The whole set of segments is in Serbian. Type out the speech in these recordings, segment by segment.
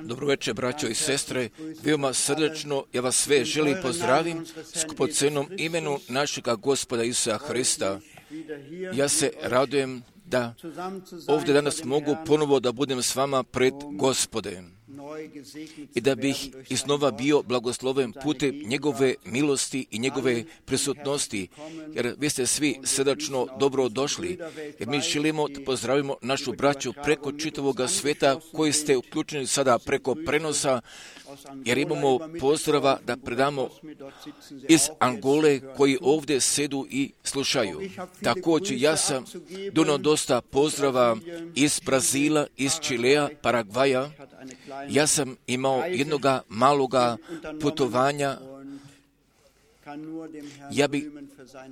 Dobro večer, braćo i sestre, veoma srdečno ja vas sve želim pozdravim skupocenom imenu našega Gospoda Isusa Hrista. Ja se radujem da ovdje danas mogu ponovo da budem s vama pred Gospodem i da bih iznova bio blagosloven putem njegove milosti i njegove prisutnosti, jer vi ste svi srdačno dobro došli, jer mi želimo da pozdravimo našu braću preko čitavoga sveta koji ste uključeni sada preko prenosa, jer imamo pozdrava da predamo iz Angole koji ovdje sedu i slušaju. Također ja sam donio dosta pozdrava iz Brazila, iz Čilea, Paragvaja. Ja sam imao jednoga maloga putovanja. Ja bih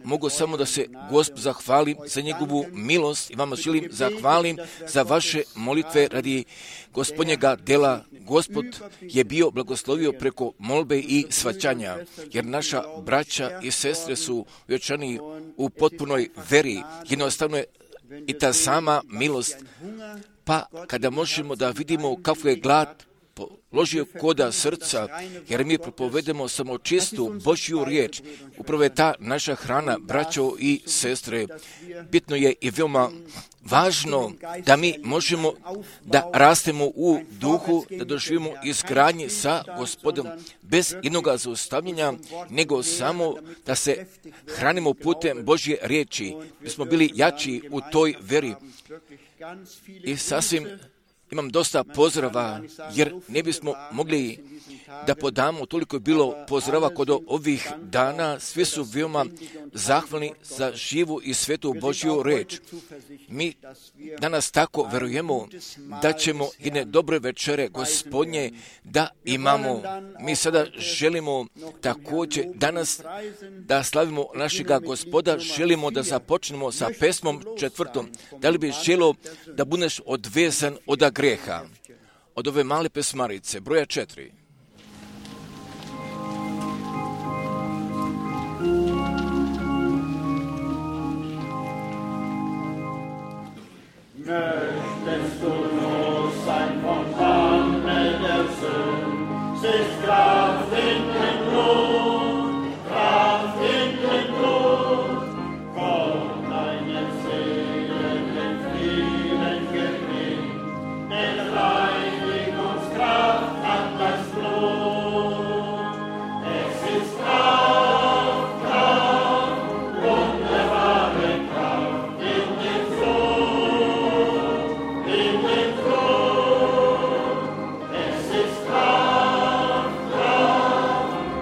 mogao samo da se Gospodu zahvalim za njegovu milost i vama želim zahvalim za vaše molitve radi Gospodnjega dela. Gospod je bio blagoslovio preko molbe i svaćanja, jer naša braća i sestre su vječani u potpunoj veri. Jednostavno je i ta sama milost, pa kada možemo da vidimo kako je glad položio koda srca, jer mi propovedemo samo čistu Božju riječ. Upravo je ta naša hrana, braćo i sestre. Bitno je i veoma važno da mi možemo da rastemo u duhu, da doživimo izgradnje sa Gospodom bez jednoga zaustavljenja, nego samo da se hranimo putem Božje riječi. Mi smo bili jači u toj veri i sasvim imam dosta pozdrava, jer ne bismo mogli da podamo, toliko je bilo pozdrava kod ovih dana, svi su veoma zahvalni za živu i svetu Božju reč. Mi danas tako verujemo da ćemo jedne dobre večere Gospodnje da imamo. Mi sada želimo također danas da slavimo našega Gospoda, želimo da započnemo sa pesmom 4. Da li bi želio da budeš odvezan od greha? Od ove male pesmarice, broja 4. Möchtest du los sein vom Banne der Sünde, es ist Kraft in dem Blut, Kraft in dem Blut, Gott deine Seele den Frieden gewinnt, denn Reinigungskraft hat das Blut. Es ist Kraft, Kraft, wunderbare Kraft in dem Blut. In dem Blut, es ist Kraft, Kraft,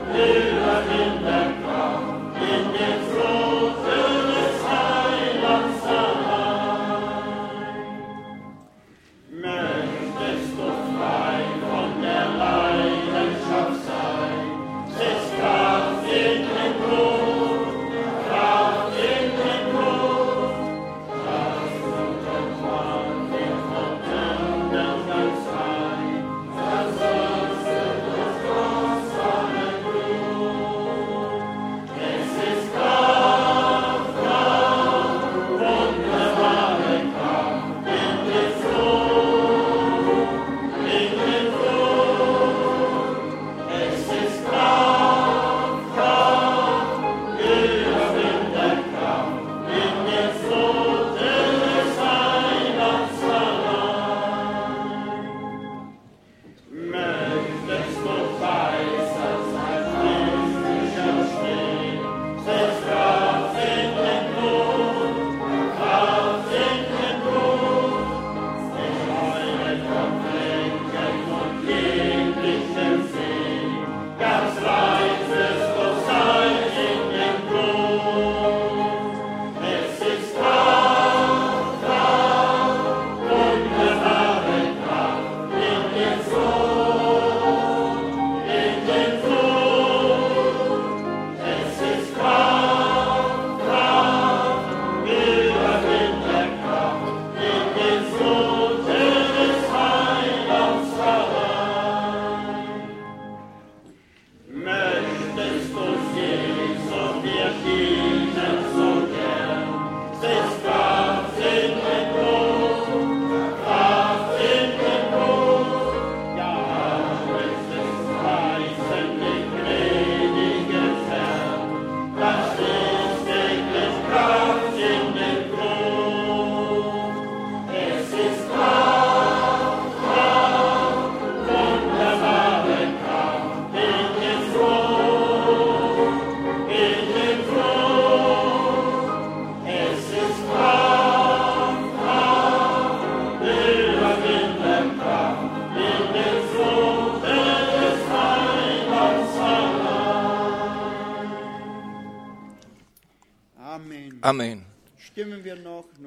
Amen.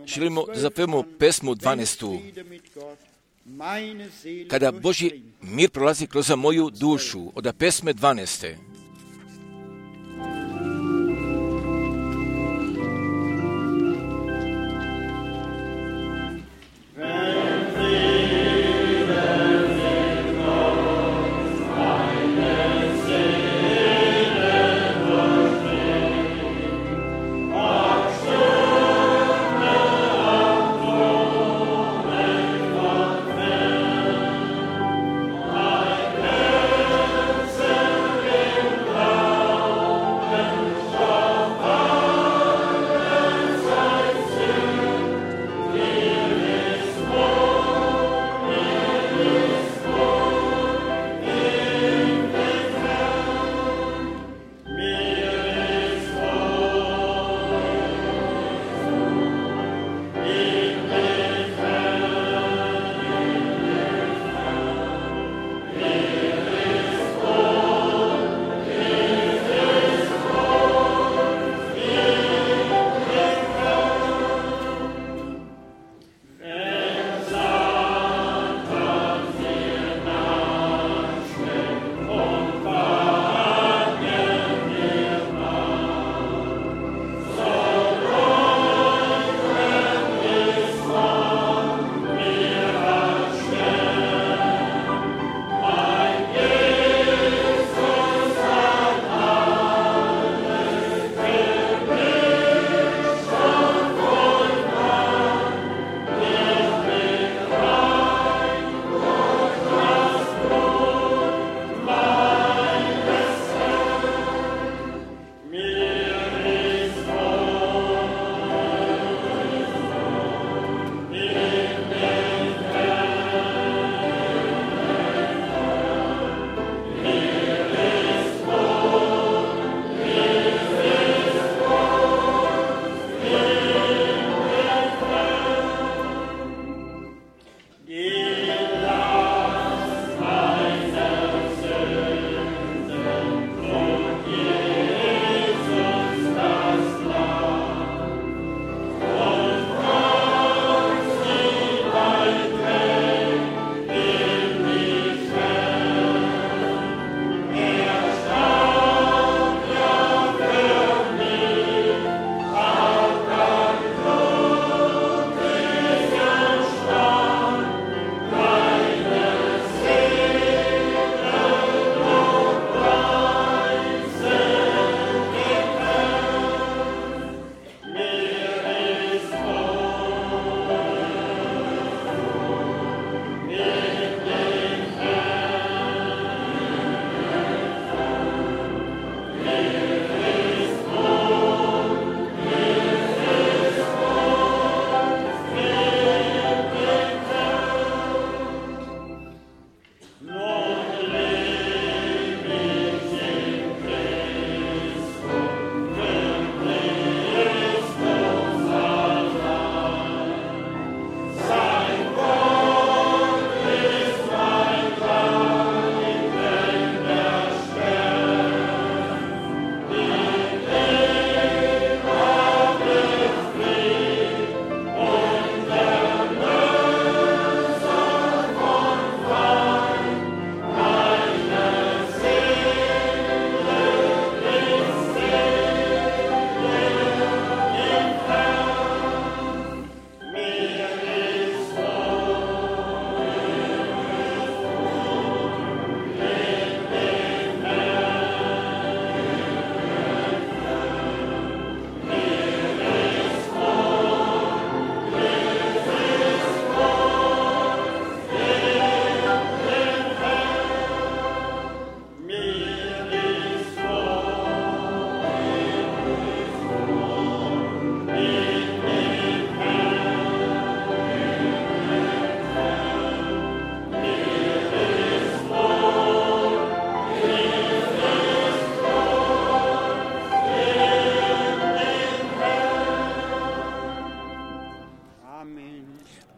Želimo da zapevamo pesmu 12. Kada Božji mir prolazi kroz moju dušu, od pesme 12.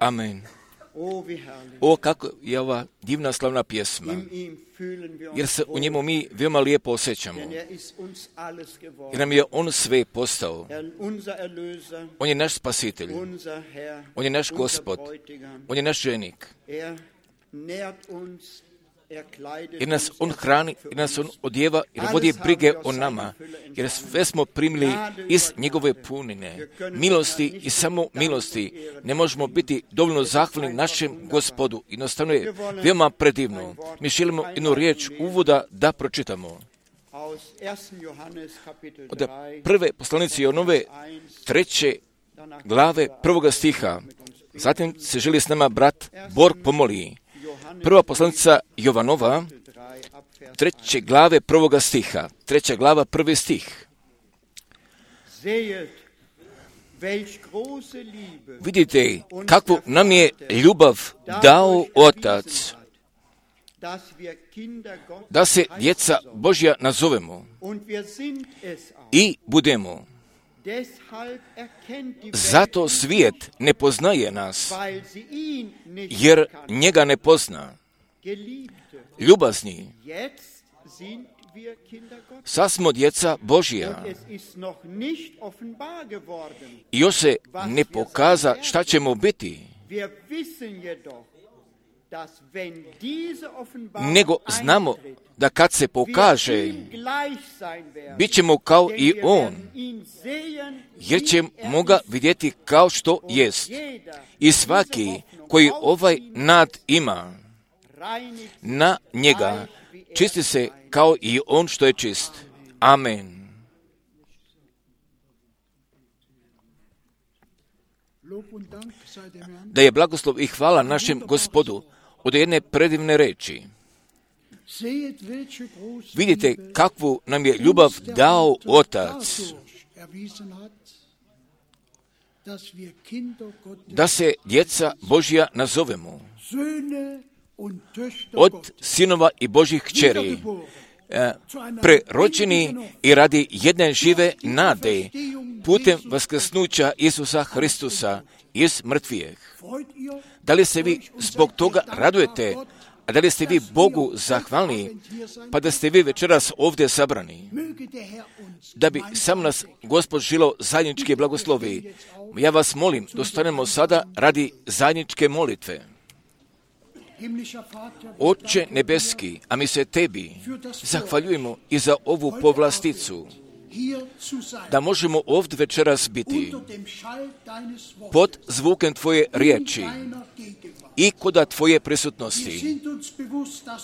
Amen. O, kako je ova divna slavna pjesma, jer se u njemu mi veoma lijepo osjećamo, jer nam je on sve postao. On je naš spasitelj, on je naš gospod, on je naš ženik. Jer nas on hrani, jer nas on odjeva, jer vodi brige o nama, jer sve smo primili iz njegove punine, milosti i samo milosti. Ne možemo biti dovoljno zahvalni našem Gospodu. Jednostavno je veoma predivno. Mi želimo jednu riječ uvoda da pročitamo. Od prve poslanice Jonove 3. glave 1. stiha. Zatim se želi s nama brat Borg pomoli. Prva poslanica Jovanova, 3. glave 1. stiha, 3. glava 1. stih. Vidite kakvu nam je ljubav dao Otac, da se djeca Božja nazovemo i budemo. Zato svijet ne poznaje nas, jer njega ne pozna. Ljubazni, sad smo djeca Božja. I još se ne pokaza šta ćemo biti. Nego znamo da kad se pokaže, bit ćemo kao i on, jer ćemo ga vidjeti kao što jest. I svaki koji ovaj nad ima, na njega čisti se kao i on što je čist. Amen. Da je blagoslov i hvala našem Gospodu od jedne predivne reči. Vidite kakvu nam je ljubav dao Otac, da se djeca Božja nazovemo. Od sinova i Božjih kćeri, prerođeni i radi jedne žive nade, putem vaskrsnuća Isusa Hristusa iz mrtvijeh. Da li se vi zbog toga radujete, a da li ste vi Bogu zahvalni, pa da ste vi večeras ovdje sabrani? Da bi sam nas Gospod žilo zajedničke blagoslovi, ja vas molim, dostanemo sada radi zajedničke molitve. Oče nebeski, a mi se tebi zahvaljujemo i za ovu povlasticu, da možemo ovdje večeras biti pod zvukem tvoje riječi i koda tvoje prisutnosti.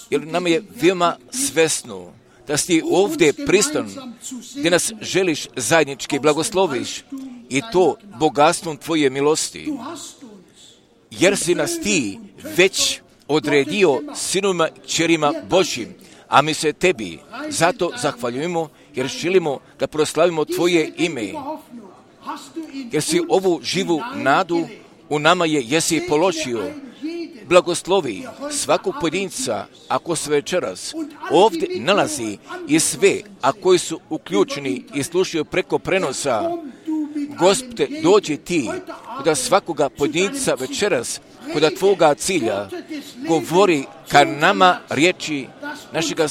Jer nam je veoma svesno da si ovdje pristan, gdje nas želiš zajednički blagosloviš i to bogatstvom tvoje milosti. Jer si nas ti već odredio sinovima i kćerima Božjim, a mi se tebi zato zahvaljujemo, jer želimo da proslavimo tvoje ime. Jer si ovu živu nadu u nama jesi položio. Blagoslovi svakog pojedinca, ako se večeras ovdje nalazi i sve, a koji su uključeni i slušaju preko prenosa. Gospode, dođi ti, da svakoga pojedinca večeras, kod tvoga cilja, govori ka nama riječi našega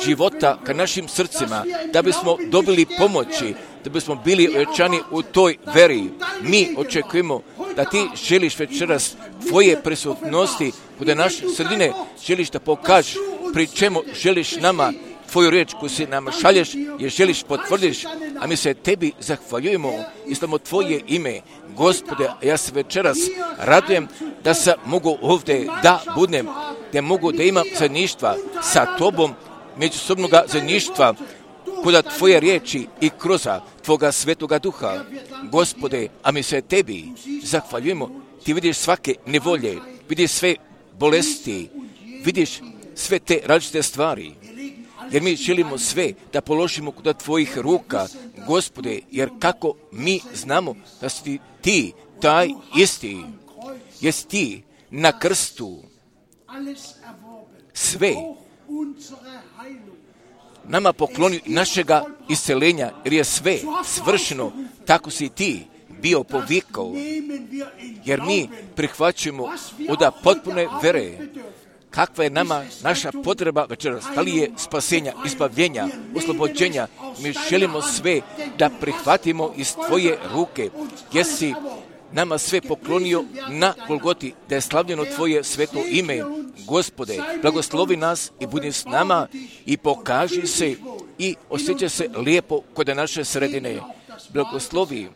života, ka našim srcima, da bismo dobili pomoći, da bismo bili ojačani u toj veri. Mi očekujemo da ti želiš večeras tvoje prisutnosti, kod naše sredine želiš da pokažeš, pri čemu želiš nama tvoju riječ koju si nam šalješ, jer želiš potvrdiš, a mi se tebi zahvaljujemo i slavimo tvoje ime. Gospode, ja se večeras radujem da se mogu ovdje da budem, da mogu da imam zajedništva sa tobom, međusobnoga zajedništva, kod tvoje riječi i kroz tvoga svetoga duha. Gospode, a mi se tebi zahvaljujemo, ti vidiš svake nevolje, vidiš sve bolesti, vidiš sve te različite stvari. Jer mi želimo sve da položimo kod tvojih ruka, Gospode, jer kako mi znamo da si ti taj isti, jesi ti na krstu sve nama pokloni našega isceljenja, jer je sve svršeno, tako si ti, bio povikao, jer mi prihvaćamo od potpune vere. Kakva je nama naša potreba večeras? Da li je spasenja, izbavljenja, oslobođenja? Mi želimo sve da prihvatimo iz Tvoje ruke, jer si nama sve poklonio na Golgoti, da je slavljeno Tvoje sveto ime. Gospode, blagoslovi nas i budi s nama i pokaži se i osjeća se lijepo kod naše sredine. Blagoslovi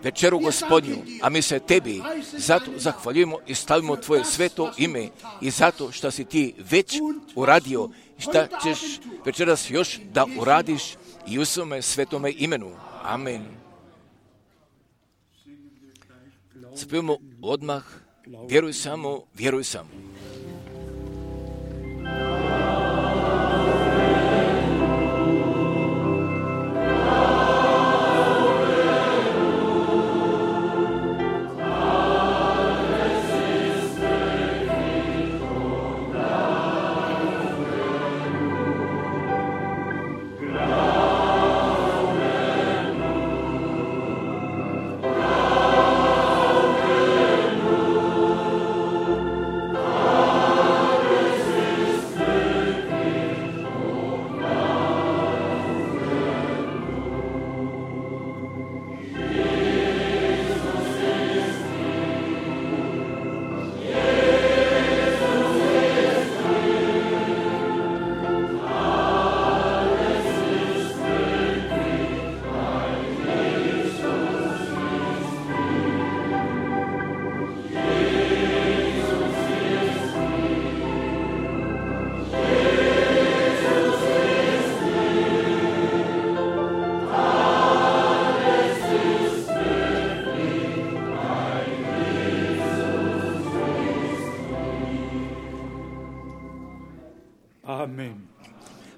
večeru Gospodnju, a mi se Tebi zato zahvaljujemo i stavimo Tvoje sveto ime i zato što si Ti već uradio i šta ćeš večeras još da uradiš i u svome svetome imenu. Amen. Spijemo odmah, vjeruj samo, vjeruj samo.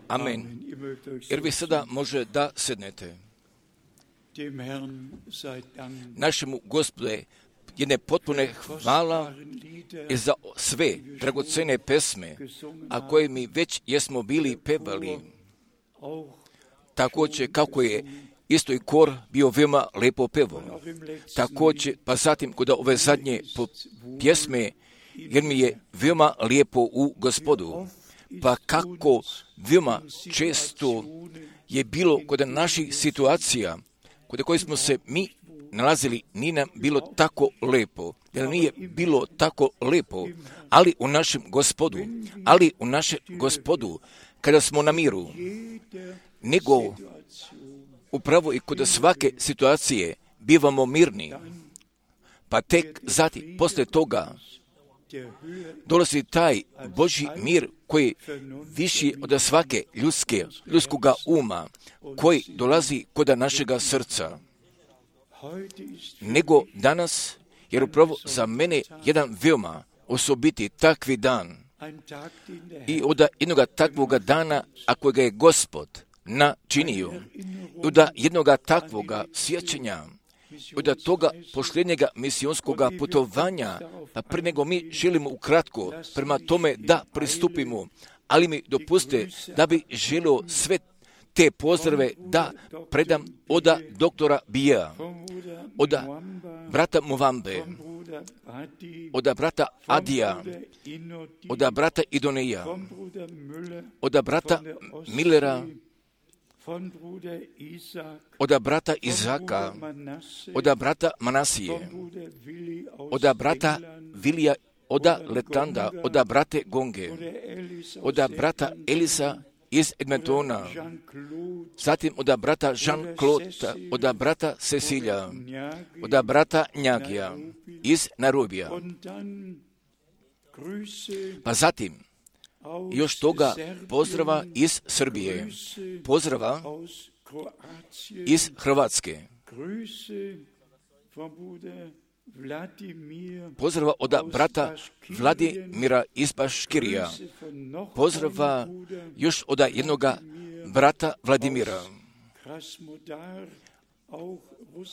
Amen. Jer vi sada može da sednete. Našemu Gospode jedne potpune hvala i za sve dragocene pesme, a koje mi već jesmo bili pevali. Također kako je isto i kor bio veoma lepo pevo. Također, pa zatim kod ove zadnje pjesme, jer mi je veoma lijepo u Gospodu. Pa kako veoma često je bilo kod naših situacija, kod kojih smo se mi nalazili, nije nam bilo tako lepo, jer nije bilo tako lepo, ali u našem Gospodu, kada smo na miru, nego upravo i kod svake situacije bivamo mirni, pa tek zatim, posle toga, dolazi taj Božji mir koji viši od svake ljudskoga uma, koji dolazi kod našega srca. Nego danas, jer upravo za mene jedan veoma osobiti takvi dan i od jednoga takvoga dana, ako ga je Gospod načinio, od jednoga takvoga sjećanja, od toga posljednjega misionskoga putovanja, pa prije nego mi želimo ukratko prema tome da pristupimo, ali mi dopuste da bi želio sve te pozdrave da predam od doktora Bija, od brata Muvambe, od brata Adija, od brata Idoneja, od brata Millera, od brata Izaka, od brata Manasije, od brata Vilija, od Letanda, od brate Gonge, od brata Elisa iz Edmontona, zatim od brata Jean-Claude, od brata Cecilija, od brata Njagija iz Nairobija. Pa zatim, još toga pozdrava iz Srbije, pozdrava iz Hrvatske, pozdrava od brata Vladimira iz Baškirija, pozdrava još od jednoga brata Vladimira,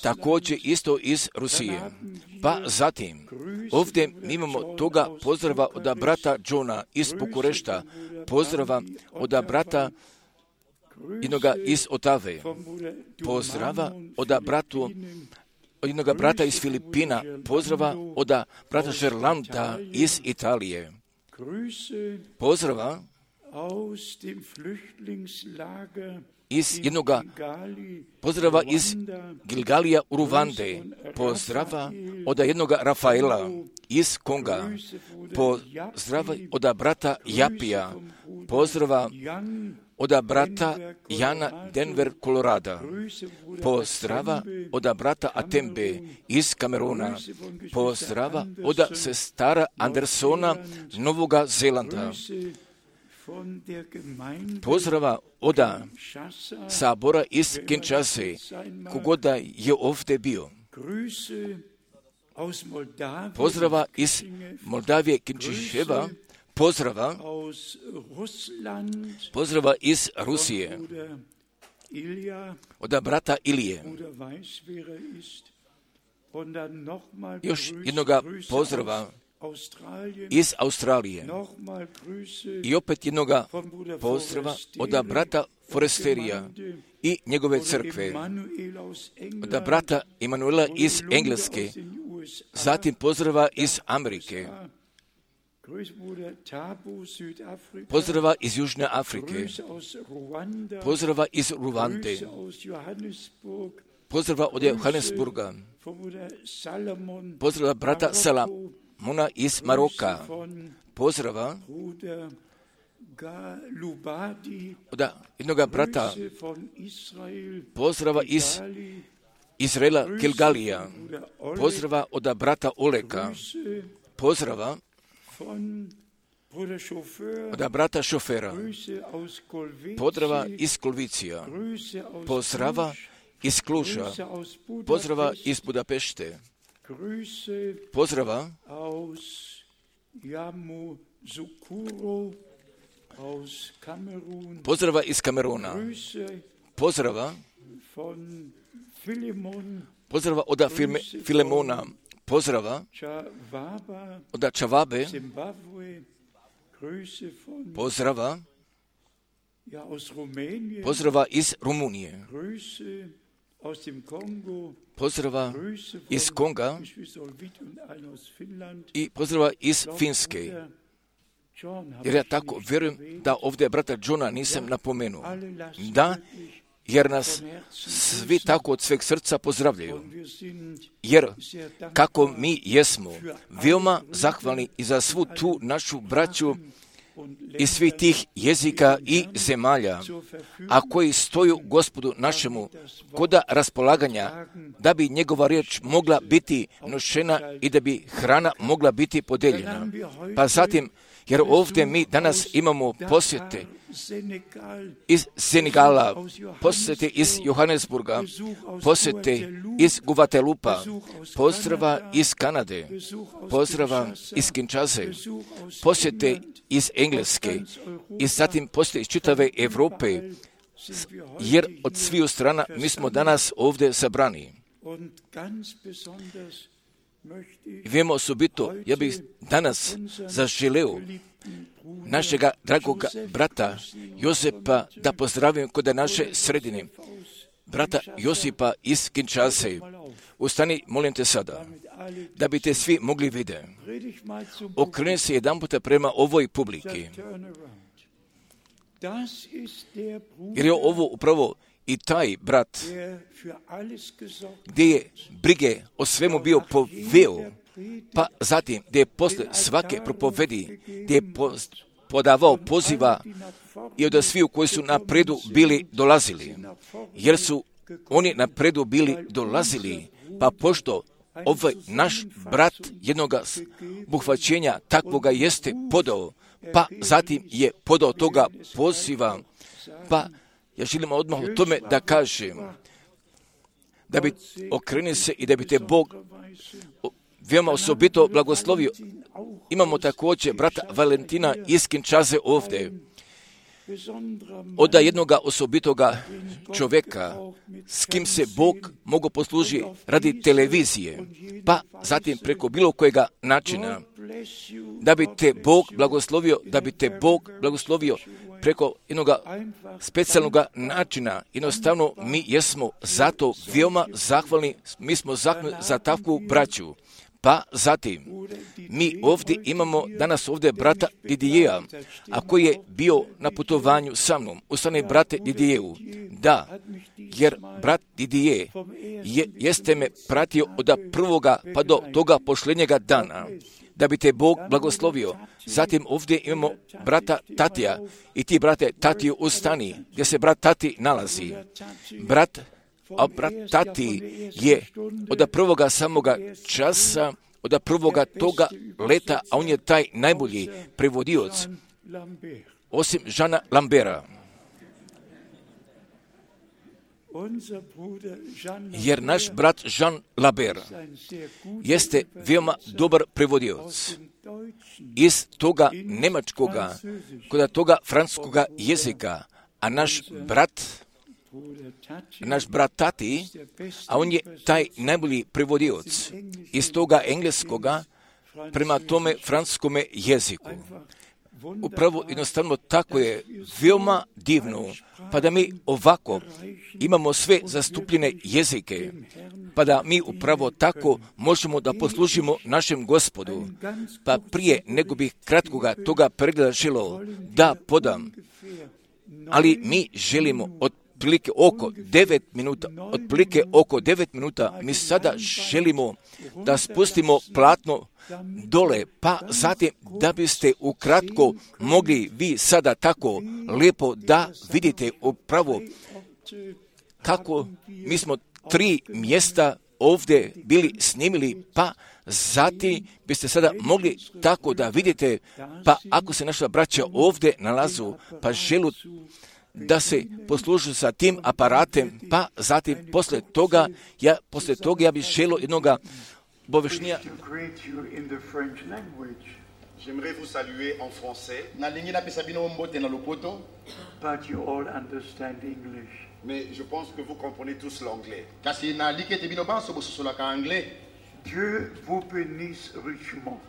također isto iz Rusije. Pa zatim, ovdje mi imamo toga pozdrava od brata Johna iz Bukurešta, pozdrava od brata jednoga iz Otave, pozdrava od bratu od jednog brata iz Filipina, pozdrava od brata Žerlanda iz Italije, pozdrava iz jednoga pozdrava iz Gilgalija u Ruvande, pozdrava od jednoga Rafaela iz Konga, pozdrava od brata Japija, pozdrava od brata Jana Denver, Kolorada, pozdrava od brata Atembe iz Kameruna, pozdrava od sestara Andersona Novoga Zelanda, pozdrava od sabora iz Kinshase, kogoda je ovdje bio. Pozdrava iz Moldavije, Kinčiševa, pozdrava iz Rusije, od brata Ilije. Još jednoga pozdrava iz Australije i opet jednoga pozdrava od brata Foresterija i njegove crkve, od brata Emanuela iz Engleske, zatim pozdrava iz Amerike, pozdrava iz Južne Afrike, pozdrava iz Ruvande, pozdrava od Johannesburga, pozdrava brata Salamona iz Maroka, pozdrava od jednoga brata, pozdrava iz Izraela Gilgalija, pozdrava od brata Oleka, pozdrava od brata Šofera, pozdrava iz Kolvicija, pozdrava iz Kluža, pozdrava iz Budapešte, pozdrava pozdrava iz Kameruna, pozdrava od Filemona, pozdrava od Čavabe, pozdrava iz Rumunije, pozdrava iz Konga i pozdrava iz Finske. Jer ja tako vjerujem da ovdje brata Johna nisam napomenuo. Da, jer nas svi tako od sveg srca pozdravljaju. Jer kako mi jesmo veoma zahvalni i za svu tu našu braću iz svih tih jezika i zemalja, a koji stoju Gospodu našemu kod raspolaganja, da bi njegova riječ mogla biti nošena i da bi hrana mogla biti podeljena. Pa zatim, jer ovdje mi danas imamo posjete iz Senegala, posjete iz Johannesburga, posjete iz Guatelupa, pozdrava iz Kanade, pozdrava iz Kinshase, posjete iz Engleske i zatim posjete iz čitave Evrope, jer od sviju strana mi smo danas ovdje sabrani. Vemo osobito, ja bih danas zaželeo našega dragog brata Josepa da pozdravim kod naše sredine, brata Josipa iz Kinshase. Ustani, molim te sada, da bi te svi mogli vidjeti. Okreni se jedan puta prema ovoj publiki. Jer je ovo upravo i taj brat gdje je brige o svemu bio poveo, pa zatim gdje je posle svake propovedi, gdje je podavao poziva i od sviju koji su napredu bili dolazili, jer su oni napredu bili dolazili, pa pošto ovaj naš brat jednoga buhvaćenja takvoga jeste podao, pa zatim je podao toga poziva, pa ja želim odmah o tome da kažem, da bi okreni se i da bi te Bog veoma osobito blagoslovio. Imamo također brata Valentina iz Kinshase ovdje. od jednoga osobitoga čovjeka s kim se Bog mogu posluži radi televizije, pa zatim preko bilo kojega načina, da bi te Bog blagoslovio preko jednog specijalnog načina. Jednostavno mi jesmo zato veoma zahvalni, mi smo zahvalni za takvu braću. Pa zatim, mi ovdje imamo danas ovdje brata Didijeja, a koji je bio na putovanju sa mnom, u strane brate Didijeju. Da, jer brat Didije jeste me pratio od prvoga pa do toga pošljenjega dana, da bi te Bog blagoslovio. Zatim ovdje imamo brata Tatija i ti brate Tatiju ustani, gdje se brat Tati nalazi. Brat Tati je od prvoga samoga časa, od prvoga toga leta, a on je taj najbolji prevodioc, osim Žana Lambera. Jer naš brat Jean Lambert jeste veoma dobar prevodioc iz toga nemačkoga, kod toga francuskoga jezika, a naš brat Tati, a on je taj najbolji prevodioc iz toga engleskoga prema tome francuskome jeziku. Upravo jednostavno tako je veoma divno, pa da mi ovako imamo sve zastupljene jezike, pa da mi upravo tako možemo da poslužimo našem Gospodu. Pa prije nego bih kratkoga toga pregleda želio da podam, ali mi želimo otprilike oko 9 minuta, mi sada želimo da spustimo platno dole, pa zatim da biste ukratko mogli vi sada tako lijepo da vidite upravo kako mi smo 3 mjesta ovdje bili snimili, pa zatim biste sada mogli tako da vidite, pa ako se naša braća ovdje nalazu, pa želu da se poslužu sa tim aparatem, pa zatim poslije toga ja bih želio jednoga obavještenja. J'aimerais vous saluer en français. But you all understand English. Mais je pense que vous comprenez tous l'anglais. Dieu vous bénisse richement.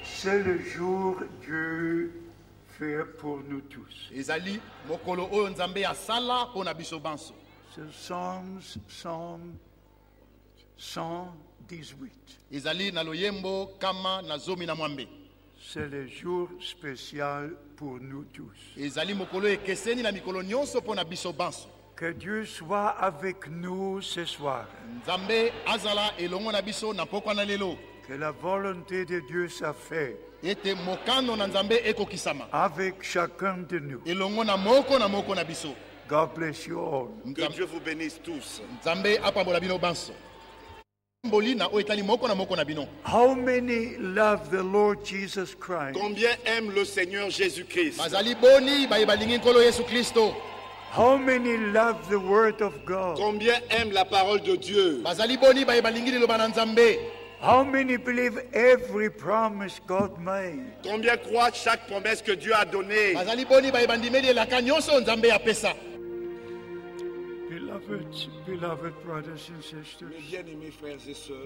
C'est le jour Dieu fait pour nous tous. C'est Psalm 118. C'est le jour spécial pour nous tous. Que Dieu soit avec nous ce soir. Que la volonté de Dieu soit faite avec chacun de nous. God bless you all. Que Dieu vous bénisse tous. How many love the Lord Jesus Christ? Combien aiment le Seigneur Jésus-Christ? How many love the Word of God? Combien aiment la parole de Dieu? How many believe every promise God made? Combien croient chaque promesse que Dieu a donnée? Beloved brothers and sisters, Mes bien-aimés frères et sœurs,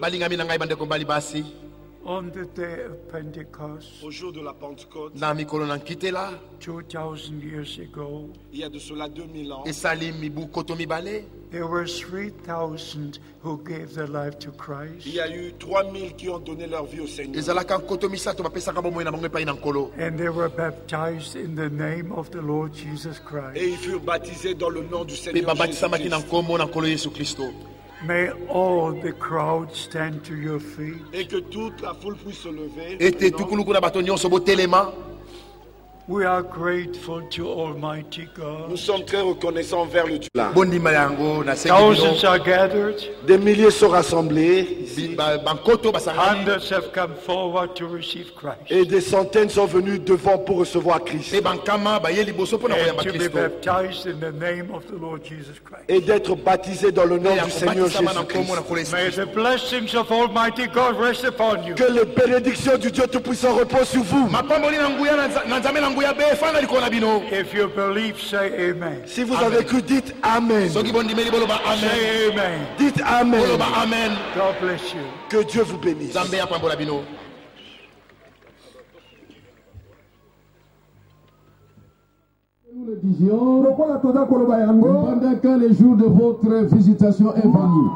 on the day of Pentecost, au jour de la Pentecôte, 2000 years ago, il y a de cela 2000 ans, there were 3,000 who gave their life to Christ. il y a eu 3000 qui ont donné leur vie au Seigneur. And they were baptized in the name of the Lord Jesus Christ. Et ils furent baptisés dans le nom du Seigneur Jésus-Christ. May all the crowd stand to your feet. Et que toute la foule puisse se lever. We are grateful to Almighty God. Nous sommes très reconnaissants envers le Dieu. Thousands are gathered. Des milliers sont rassemblés. Hundreds have come forward to receive Christ. Et des centaines sont venus devant pour recevoir Christ. And to be baptized in the name of the Lord Jesus Christ. Et d'être baptisés dans le nom du Seigneur Jésus-Christ. May the blessings of Almighty God rest upon you. Que les bénédictions du Dieu Tout-Puissant reposent sur vous. If you believe, say amen. Si vous avez cru, dites Amen. Say amen. Dites Amen. God bless you. Que Dieu vous bénisse. Nous le disions, pendant que le jour de votre visitation est venu,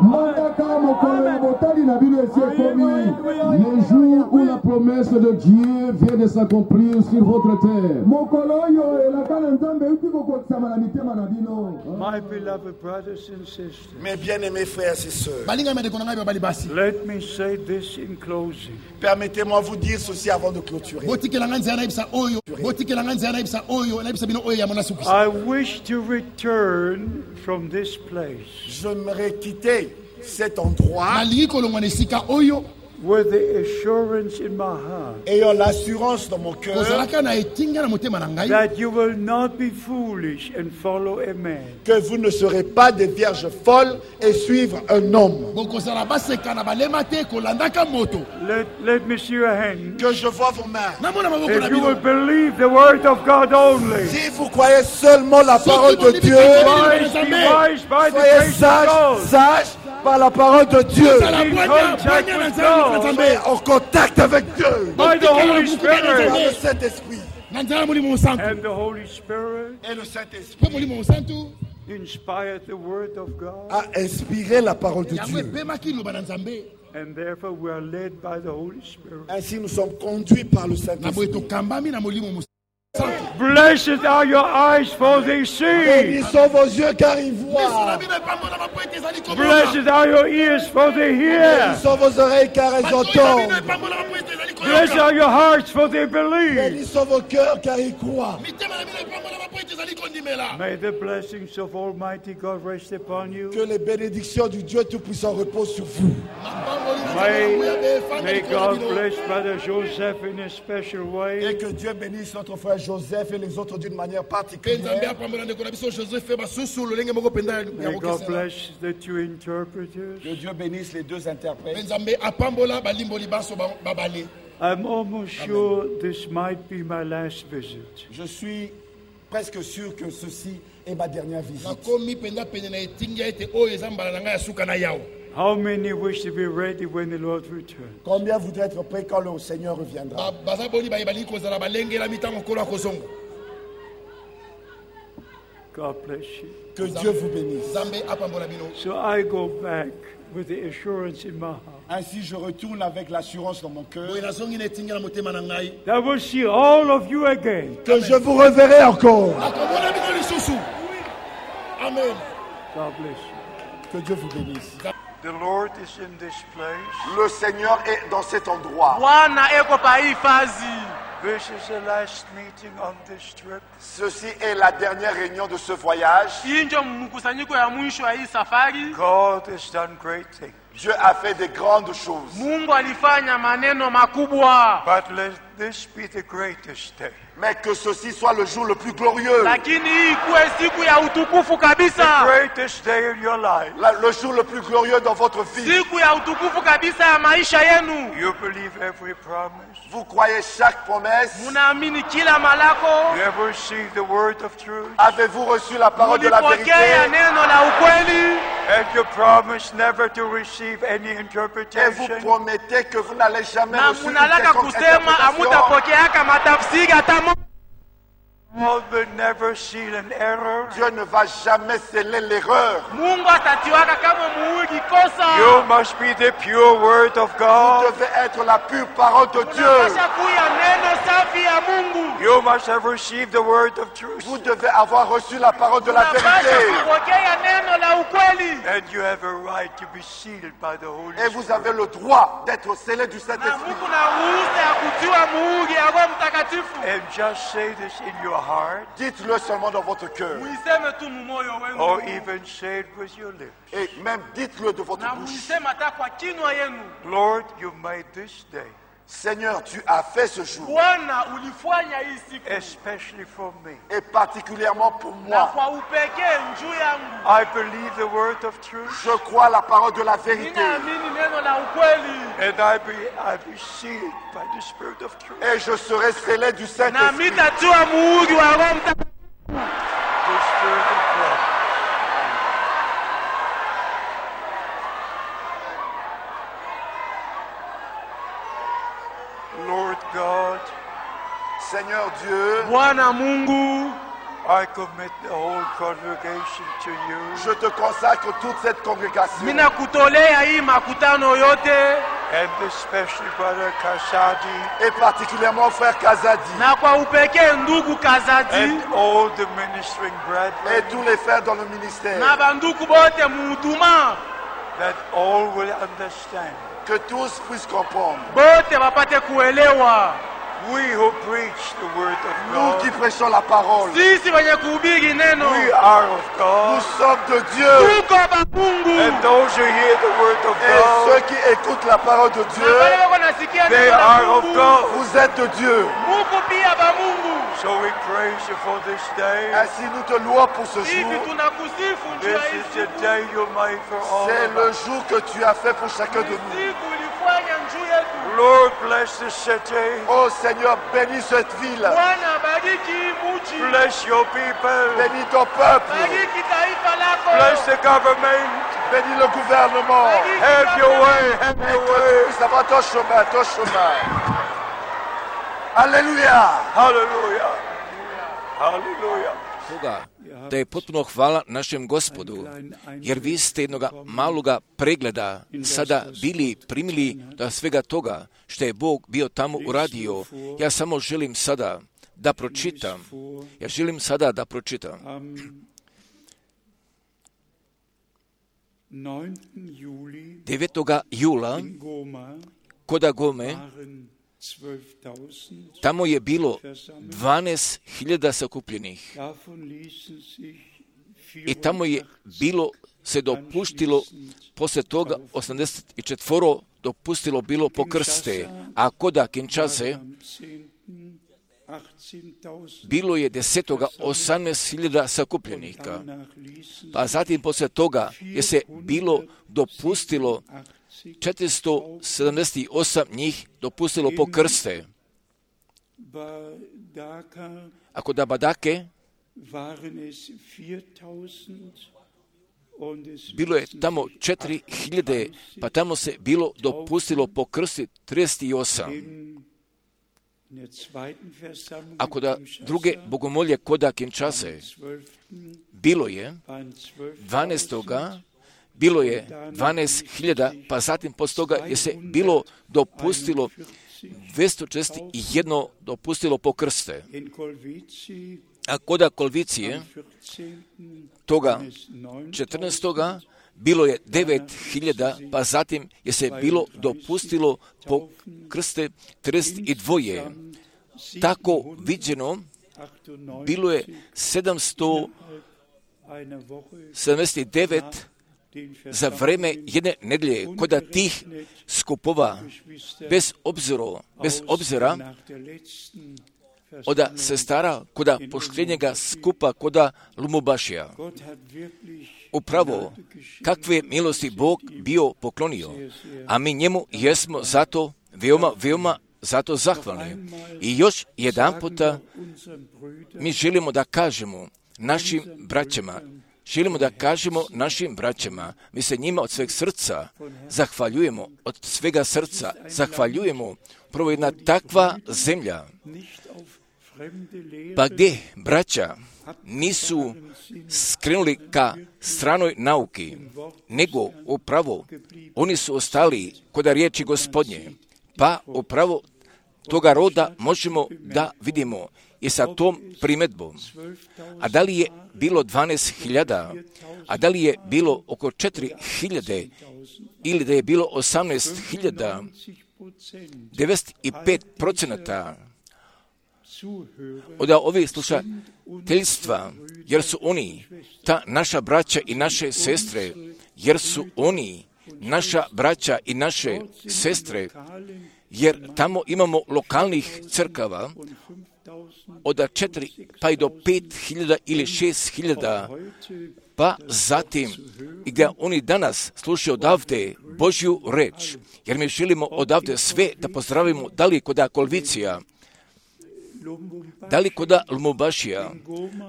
le jour où la promesse de Dieu vient de s'accomplir sur votre terre. My beloved brothers and sisters, Mes bien-aimés frères et sœurs, let me say this in closing. permettez-moi de vous dire ceci avant de clôturer. I wish to return from this place J'aimerais quitter cet endroit with the assurance in my heart ayant l'assurance dans mon cœur that you will not be foolish and follow a man. que vous ne serez pas des vierges folles et suivre un homme. Let me see your hand. Que je vois vos mains. If you will believe the word of God only, Si vous croyez seulement la parole de Dieu, be wise by the soyez grace of God. sages par la parole de Dieu. In contact with God. Soyez en contact avec Dieu. By the Holy Par Spirit. le Saint-Esprit. And the Holy Spirit Et le Saint-Esprit inspired the word of God. a inspiré la parole de Dieu. And therefore we are led by the Holy Spirit. Ainsi nous sommes conduits par le Saint-Esprit. Blessed are your eyes, for they see. Bénis sont vos yeux car ils voient. Blessed are your ears, for they hear. Bénis sont vos oreilles car elles entendent. Blessed are your hearts, for they believe. Bénis sont vos cœurs car ils croient. May the blessings of Almighty God rest upon you. Que les bénédictions du Dieu Tout-Puissant reposent sur vous. May God bless Brother Joseph in a special Et way. que Dieu bénisse notre frère Joseph et les autres d'une manière particulière. May God bless the two interpreters. Que Dieu bénisse les deux interprètes. I'm almost sure this might be my last visit. Je suis presque sûr que ceci est ma dernière visite. How many wish to be ready when the Lord returns? Combien voudraient être prêts quand le Seigneur reviendra? God bless you. Que Dieu vous bénisse. So I go back with the assurance in my heart. Ainsi, je retourne avec l'assurance dans mon cœur That I will see all of you again. que je vous reverrai encore. Amen. God bless you. Que Dieu vous bénisse. The Lord is in this place. Le Seigneur est dans cet endroit. This is the last meeting on this trip. Ceci est la dernière réunion de ce voyage. God has done great things. Dieu a fait de grandes choses. But let this be the greatest day. Mais que ceci soit le jour le plus glorieux. The greatest day in your life. Le jour le plus glorieux dans votre vie. You believe every promise. Vous croyez chaque promesse. You ever received the word of truth. Avez-vous reçu la parole de la vérité? And you promise never to receive any Et vous interpretation. promettez que vous n'allez jamais na recevoir une munalaka quelconque kusema interprétation. amutapokeaka matafsiri hata Dieu ne va jamais sceller l'erreur. You must be the pure word of Vous God. devez être la pure parole de Dieu. You must have received the word of truth. Vous devez avoir reçu la parole de la vérité. And you have a right to be sealed by the Holy Et vous Spirit. avez le droit d'être scellé du Saint-Esprit. And just say this in your heart, Dites-le seulement dans votre cœur. or even say it with your lips. Et même dites-le de votre bouche. Lord, you made this day, Seigneur, tu as fait ce jour, especially for me. et particulièrement pour moi. I believe the word of truth, Je crois à la parole de la vérité. and I be sealed by the Spirit of truth. Et je serai scellé du Saint-Esprit. The Spirit of God. Lord God, Seigneur Dieu, Bwana Mungu, I commit the whole congregation to you. je te consacre toute cette congrégation. ninakutolea hii makutano yote And especially Brother Kasadi Et particulièrement frère Kazadi. na kwa upekee ndugu Kazadi and all the ministering Et brethren, tous les frères dans le ministère. na banduku bote muhuduma that all will understand. Que tous puissent comprendre. bote wapate kuelewa. We who preach the word of Nous qui God, prêchons la parole, Sisi wenye kuhubiri neno we are of nous God, sommes de Dieu. tuko ba Mungu, and those who hear the word of Et ceux God, qui écoutent la parole de na Dieu, wale wako nasikia they neno la are of Mungu, God. vous êtes de Dieu. muko pia ba Mungu. So we praise you for this day. Ainsi nous te louons pour ce Hivi jour. tunakusifu njuu ya This hii is the siku. day you made for all C'est of le us. jour que tu as fait pour chacun de nous. Siku ulifanya njuu yetu. Lord, bless the city. Oh Seigneur, bénis cette ville. Bwana bariki hii mji, Bless your people. Bénis ton peuple. bariki taifa lako, Bless the government. Bénis le gouvernement. bariki Have your way. Have Et your que tu way. puisses avoir ton chemin, ton chemin. Alléluia. Hallelujah. Hallelujah. Toga da je potpuno hvala našem Gospodu, jer vi ste jednoga maloga pregleda sada bili primili do svega toga što je Bog bio tamo uradio. Ja samo želim sada da pročitam. 9. jula kod Gome tamo je bilo 12.000 sakupljenih i tamo je bilo se dopuštilo posle toga 84 dopustilo bilo po krste, a kod Kinshase bilo je 18.000 sakupljenika. Pa zatim posle toga je se bilo dopustilo 478 njih dopustilo po krste. A kod Badake bilo je tamo 4.000, pa tamo se bilo dopustilo po krsti 38. A kod druge bogomolje kod Kinshase bilo je 12. bilo je 12.000, pa zatim posle toga je se bilo dopustilo 241 dopustilo po krste. A kod Kolvicije toga 14. bilo je 9.000, pa zatim je se bilo dopustilo po krste 32. Tako viđeno bilo je 779 za vreme jedne nedelje kod tih skupova, bez obzira od sestara kod pošljenjega skupa kod Lumubašija. Upravo, kakve milosti Bog bio poklonio, a mi njemu jesmo zato veoma zato zahvalni. I još jedan puta mi želimo da kažemo našim braćama, mi se njima od sveg srca zahvaljujemo, prvo jedna takva zemlja, Pa gdje braća nisu skrenuli ka stranoj nauki, nego upravo oni su ostali kod riječi Gospodnje, pa upravo toga roda možemo da vidimo i sa tom primjedbom. A da li je bilo 12.000, a da li je bilo oko 4.000 ili da je bilo 18.000, 95% od ovih slušateljstva, jer su oni ta naša braća i naše sestre, jer su oni naša braća i naše sestre, jer tamo imamo lokalnih crkava od 4 pa i do 5.000 ili 6.000, pa zatim i gdje oni danas slušaju odavde Božju reč, jer mi želimo odavde sve da pozdravimo, da li kod Kolvicija, da li kod Lumumbašija,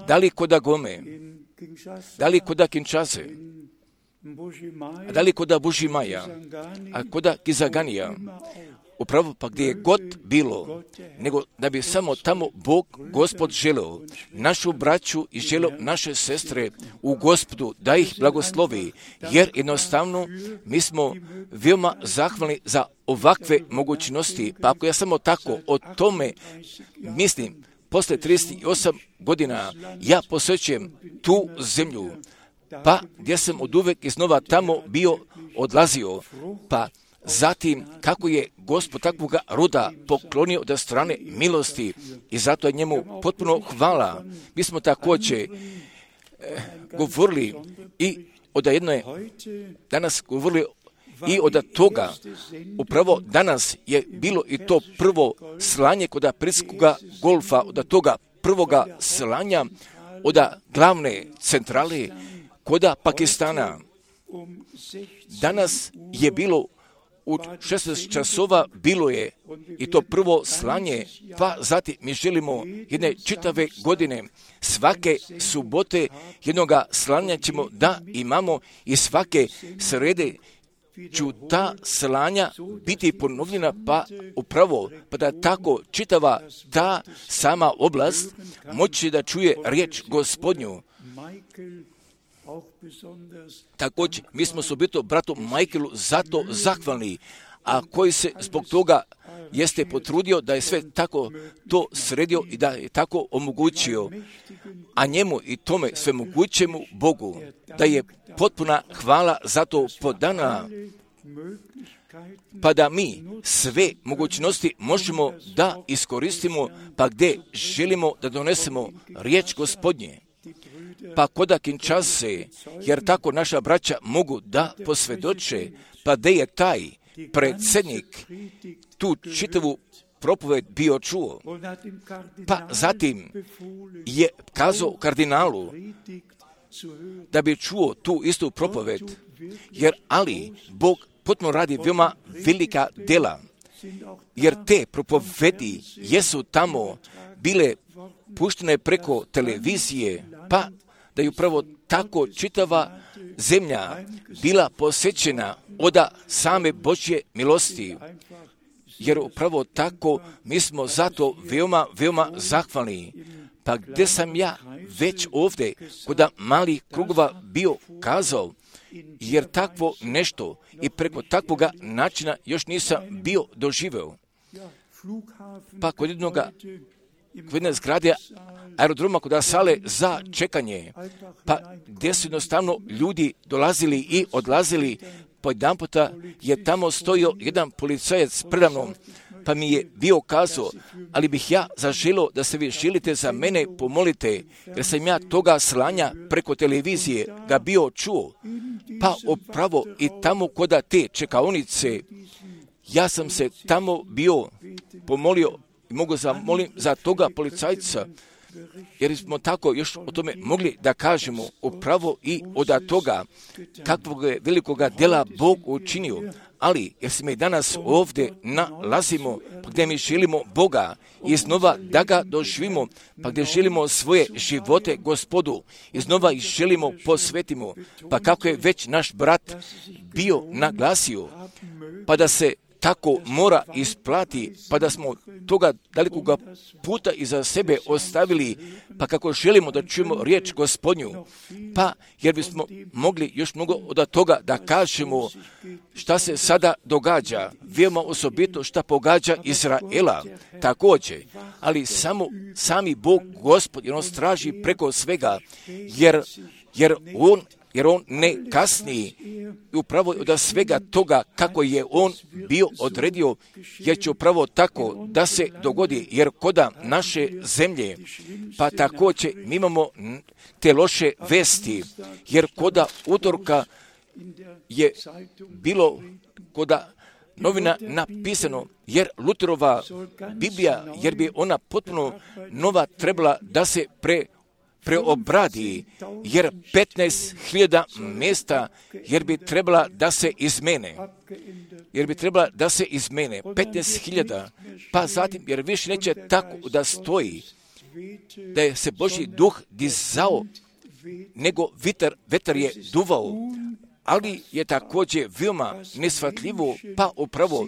da li kod Gome, da li kod Kinshase, da li kod Bušimaja, a kod Kizaganija, upravo pa gdje je god bilo, nego da bi samo tamo Bog, Gospod želeo našu braću i želeo naše sestre u Gospodu da ih blagoslovi, jer jednostavno mi smo veoma zahvalni za ovakve mogućnosti. Pa ako ja samo tako o tome mislim, posle 38 godina ja posjećujem tu zemlju, pa gdje sam od uvek iznova tamo bio odlazio, pa zatim kako je Gospod takvoga roda poklonio od strane milosti i zato je njemu potpuno hvala. Mi smo također govorili i od jedne, danas govorili i od toga, upravo danas je bilo i to prvo slanje kod Perskoga golfa, od toga prvoga slanja od glavne centrale kod Pakistana. Danas je bilo u 16 časova bilo je i to prvo slanje, pa zatim mi želimo jedne čitave godine, svake subote jednoga slanja ćemo da imamo i svake srede ću ta slanja biti ponovljena, pa upravo, pa da tako čitava ta sama oblast moći da čuje riječ Gospodnju. Također, mi smo sobito bratu Michaelu zato zahvalni, a koji se zbog toga jeste potrudio da je sve tako to sredio i da je tako omogućio, a njemu i tome sve mogućemu Bogu, da je potpuna hvala za to podana, pa da mi sve mogućnosti možemo da iskoristimo, pa gdje želimo da donesemo riječ Gospodnje. Pa kod Kinshase, jer tako naša braća mogu da posvjedoče, pa gdje je taj predsjednik tu čitavu propoved bio čuo, pa zatim je kazao kardinalu da bi čuo tu istu propoved, jer ali Bog potpuno radi veoma velika dela, jer te propovedi jesu tamo bile puštene preko televizije, pa da je upravo tako čitava zemlja bila posjećena od same Božje milosti, jer upravo tako mi smo zato veoma, veoma zahvalni. Pa gdje sam ja već ovdje kod malih krugova bio kazao, jer takvo nešto i preko takvoga načina još nisam bio doživeo. Pa kod jedne zgrade aerodroma kod sale za čekanje, pa gdje su jednostavno ljudi dolazili i odlazili, po jedan puta je tamo stojio jedan policajac predavnom, pa mi je bio kazao, ali bih ja zaželio da se vi želite za mene pomolite, jer sam ja toga slanja preko televizije ga bio čuo, pa upravo i tamo kod te čekaonice, ja sam se tamo bio pomolio i mogu zamolim za toga policajca, jer smo tako još o tome mogli da kažemo upravo i od toga kakvog je velikoga djela Bog učinio, ali jer se mi danas ovdje nalazimo, pa gdje mi želimo Boga iznova da ga doživimo, pa gdje želimo svoje živote Gospodu, iznova ih želimo posvetimo, pa kako je već naš brat bio naglasio, pa da se tako mora isplati, pa da smo toga dalikoga puta iza sebe ostavili, pa kako želimo da čujemo riječ Gospodnju, pa jer bismo mogli još mnogo od toga da kažemo šta se sada događa, veoma osobito šta pogađa Izraela također, ali sami Bog Gospod, jer on straži preko svega, jer on ne kasni upravo od svega toga kako je on bio odredio, jer će upravo tako da se dogodi, jer koda naše zemlje, pa također mi imamo te loše vesti, jer koda utorka je bilo koda novina napisano, jer Luterova Biblija, jer bi ona potpuno nova trebala da se preobradi, jer 15.000 mjesta, jer bi trebala da se izmene. 15.000, pa zatim, jer više neće tako da stoji, da je se Božji duh dizao, nego vetar je duvao, ali je također veoma neshvatljivo, pa upravo,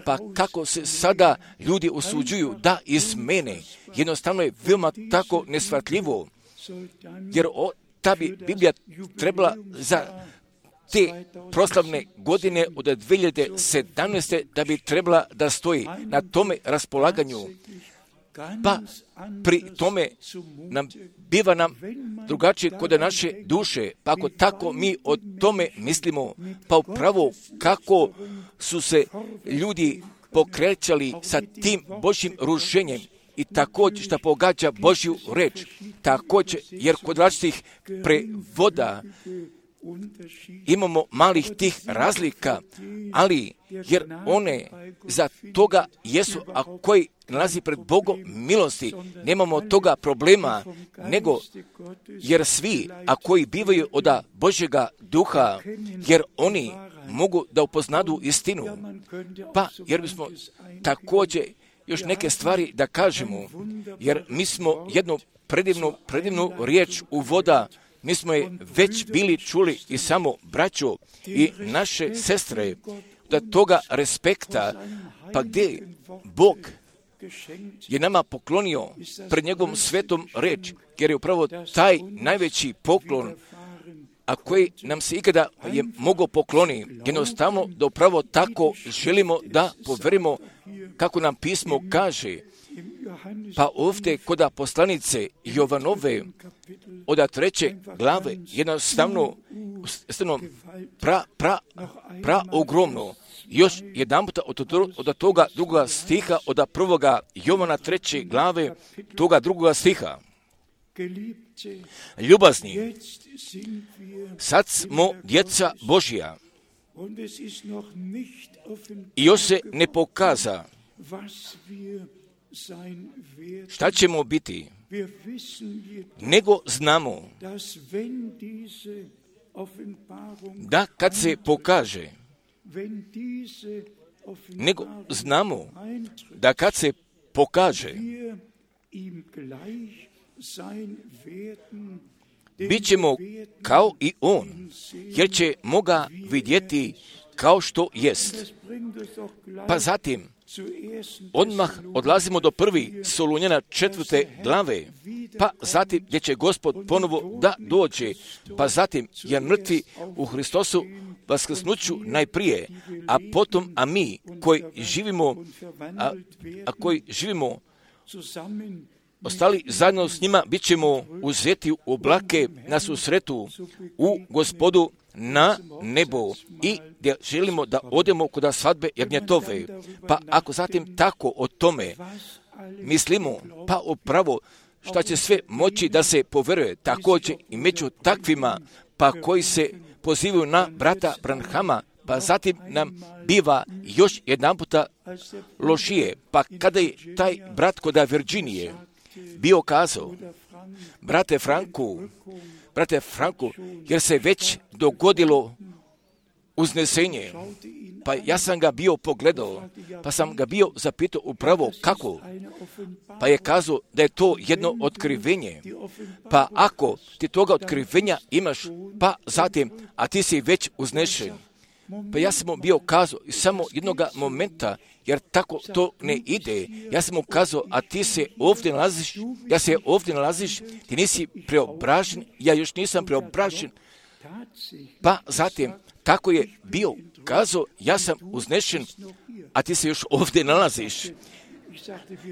pa kako se sada ljudi usuđuju da izmene, jednostavno je veoma tako neshvatljivo, jer ta bi Biblija trebala za te proslavne godine od 2017. da bi trebala da stoji na tome raspolaganju. Pa pri tome biva nam drugačije kod naše duše, pa ako tako mi o tome mislimo, pa upravo kako su se ljudi pokrećali sa tim Božjim rušenjem i također što pogađa Božju reč, također jer kod različitih prevoda imamo malih tih razlika, ali jer one za toga jesu, a koji nalazi pred Bogom milosti, nemamo toga problema, nego jer svi, a koji bivaju od Božjega duha, jer oni mogu da upoznadu istinu, pa jer bismo također još neke stvari da kažemo, jer mi smo jednu predivnu riječ uvoda, mi smo je već bili čuli i samo braćo i naše sestre, da toga respekta, pa gdje Bog je nama poklonio pred njegovom svetom reč, jer je upravo taj najveći poklon, a koji nam se ikada je mogao pokloni, jednostavno da upravo tako želimo da poverimo kako nam pismo kaže. Pa ovdje kod poslanice Jovanove od 3. glave jednostavno ogromno. Još jedan puta od toga drugoga stiha, od 1. Jovana 3. glave, toga drugoga stiha. Ljubazni, sad smo djeca Božja i još se ne pokaza šta ćemo biti, nego znamo da kad se pokaže, bit ćemo kao i on, jer ćemo ga vidjeti kao što jest. Pa zatim, odmah odlazimo do 1. Solunjana 4. glave, pa zatim gdje će Gospod ponovo da dođe, pa zatim jer mrtvi u Hristosu vaskrsnuću najprije, a potom, a mi koji živimo, ostali zajedno s njima, bit ćemo uzeti u oblake na susretu u Gospodu na nebo i gdje želimo da odemo kod svadbe jagnjetove. Pa ako zatim tako o tome mislimo, pa upravo šta će sve moći da se poveruje, također i među takvima, pa koji se pozivaju na brata Branhama, pa zatim nam biva još jedan puta lošije. Pa kada je taj brat kod Virginije bio kazao, brate Franku, jer se već dogodilo uznesenje, pa ja sam ga bio pogledao, pa sam ga bio zapitao upravo kako, pa je kazao da je to jedno otkrivenje, pa ako ti toga otkrivenja imaš, pa zatim, a ti si već uznešen, Pa ja sam mu bio kazao samo jednog momenta, jer tako to ne ide. Ja sam mu kazao, a ti se ovdje nalaziš, ja se ovdje nalaziš, ti nisi preobražen, ja još nisam preobražen. Pa zatim, tako je bio kazao, ja sam uznešen, a ti se još ovdje nalaziš.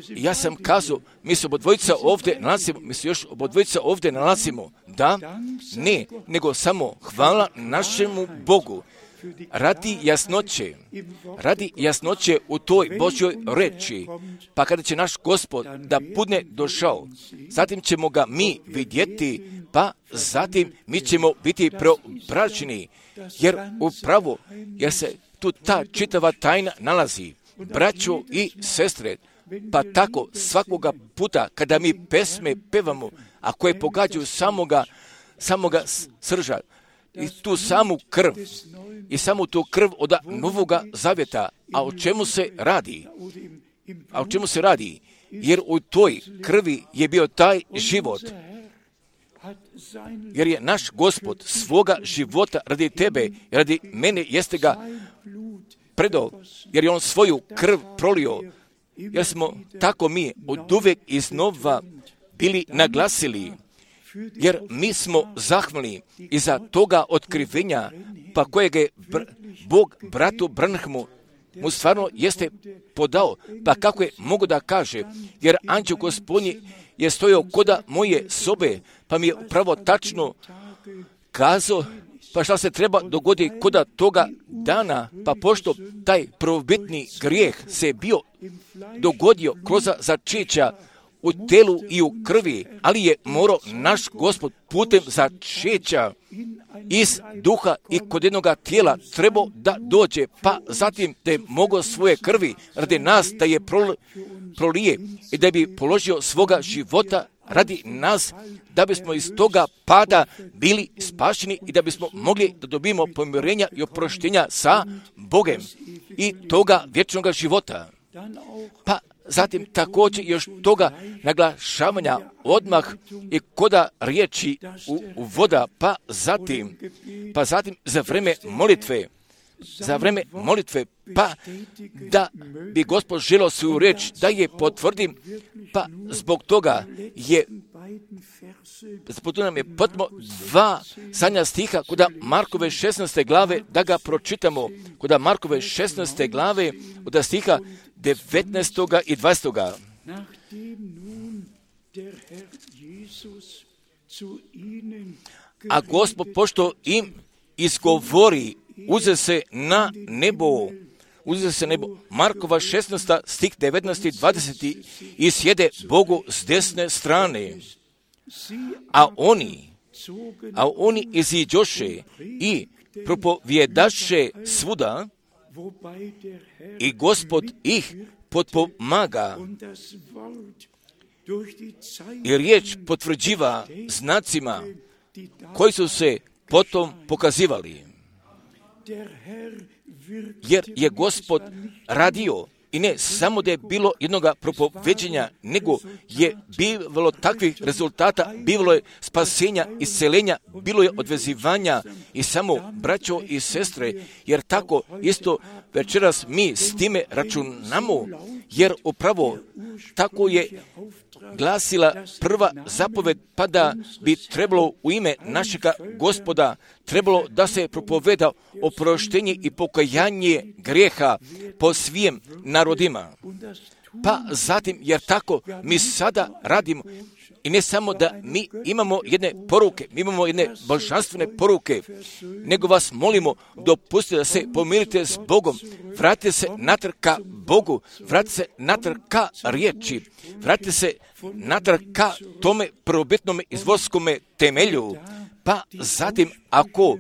Ja sam kazao, mi se obodvojica ovdje nalazimo, mi se još obodvojica ovdje nalazimo. Da, ne, nego samo hvala našemu Bogu. Radi jasnoće u toj Božjoj reči, pa kada će naš Gospod da bude došao, zatim ćemo ga mi vidjeti, pa zatim mi ćemo biti preobraženi, jer upravo, jer se tu ta čitava tajna nalazi, braćo i sestre, pa tako svakoga puta kada mi pesme pevamo, a koje pogađaju samoga srža, i tu samu krv, i samu tu krv od Novoga Zavjeta. A o čemu se radi? Jer u toj krvi je bio taj život. Jer je naš Gospod svoga života radi tebe, radi mene, jeste ga predao, jer je on svoju krv prolio. Jer smo tako mi od uvijek iznova bili naglasili, jer mi smo zahvalni iza toga otkrivenja, pa kojeg je Bog bratu Branhamu mu stvarno jeste podao, pa kako je mogu da kaže, jer anđeo Gospodnji je stojao koda moje sobe, pa mi je upravo tačno kazao, pa šta se treba dogoditi koda toga dana, pa pošto taj prvobitni grijeh se bio dogodio kroz začeća u telu i u krvi, ali je morao naš Gospod putem začeća iz duha i kod jednoga tijela trebao da dođe, pa zatim da je mogao svoje krvi radi nas da je prolije i da bi položio svoga života radi nas, da bismo iz toga pada bili spašeni i da bismo mogli da dobijemo pomirenja i oproštenja sa Bogem i toga vječnog života. Pa zatim također još toga naglašavanja odmah i koda riječi u voda, pa zatim za vreme molitve, pa da bi Gospod želio svoju riječ da je potvrdim, pa zbog toga nam je potrebno 2 zadnja stiha kod Markove 16. glave da ga pročitamo, kod Markove 16. glave od stiha 19. i 20. A Gospod pošto im izgovori, uze se nebo. Markova 16. stih 19. i 20. i sjede Bogu s desne strane. A oni iziđoše i propovjedaše svuda i Gospod ih potpomaga i riječ potvrđiva znacima koji su se potom pokazivali. Jer je Gospod radio i ne samo da je bilo jednoga propoveđenja, nego je bilo takvih rezultata, bilo je spasenja, iscelenja, bilo je odvezivanja i samo braćo i sestre, jer tako isto večeras mi s time računamo, jer upravo tako je glasila prva zapoved, pa da bi trebalo u ime našega Gospoda trebalo da se propoveda oproštenje i pokajanje grijeha po svim narodima. Pa zatim, jer tako mi sada radimo, i ne samo da mi imamo jedne poruke, mi imamo jedne božanstvene poruke, nego vas molimo, dopustite da se pomirite s Bogom, vratite se natrag ka Bogu, vratite se natrag ka riječi, vratite se natrag ka tome prvobitnome izvorskome temelju. Pa zatim, ako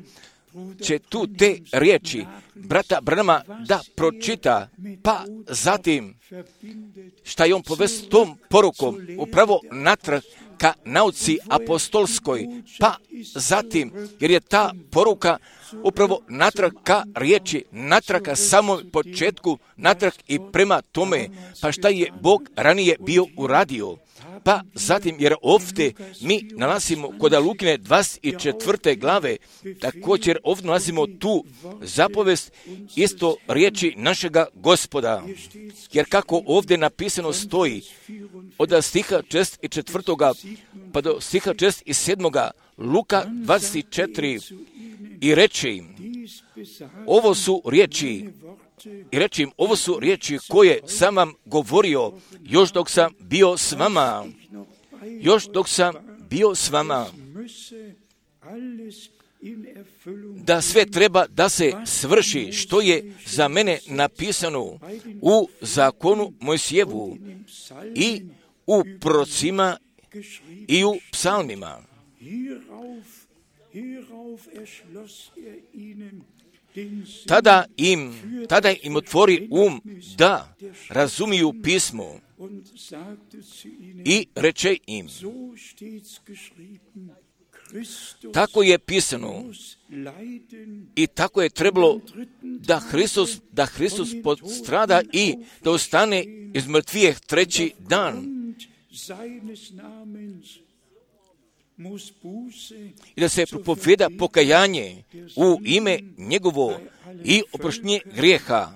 će tu te riječi brata Branhama da pročita, pa zatim šta je on povest tom porukom upravo natrag ka nauci apostolskoj, pa zatim, jer je ta poruka upravo natrag ka riječi, natrag ka samom početku, natrag i prema tome, pa šta je Bog ranije bio uradio. Pa zatim, jer ovdje mi nalazimo kod Lukine 24. glave, također ovdje nalazimo tu zapovest isto riječi našega Gospoda. Jer kako ovdje napisano stoji, od stiha 4. pa do stiha 7. Luka 24. i reče im, ovo su riječi, i reći im, ovo su riječi koje sam vam govorio još dok sam bio s vama. Još dok sam bio s vama. Da sve treba da se svrši što je za mene napisano u zakonu Mojsijevu i u prorocima i u psalmima. Tada im otvori da razumiju pismo i reče im, tako je pisano i tako je trebalo da Hristos postrada i da ostane iz mrtvijeh treći dan. I da se propoveda pokajanje u ime njegovo i oproštenje grijeha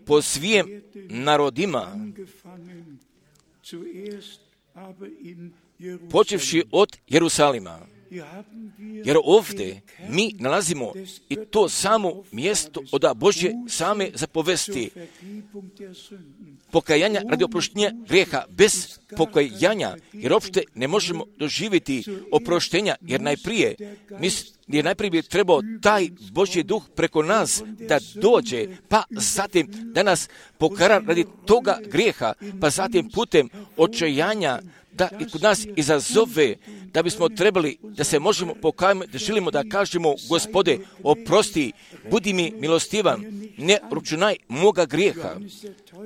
po svim narodima, počevši od Jerusalima. Jer ovdje mi nalazimo i to samo mjesto od Božje same zapovesti. Pokajanja radi oproštenja grijeha. Bez pokajanja, jer uopšte ne možemo doživjeti oproštenja, jer najprije bi trebao taj Božji duh preko nas da dođe, pa zatim da nas pokara radi toga grijeha, pa zatim putem očajanja da i kod nas izazove, da bismo trebali da se možemo pokajati, da želimo da kažemo, Gospode, oprosti, budi mi milostivan, ne računaj moga grijeha.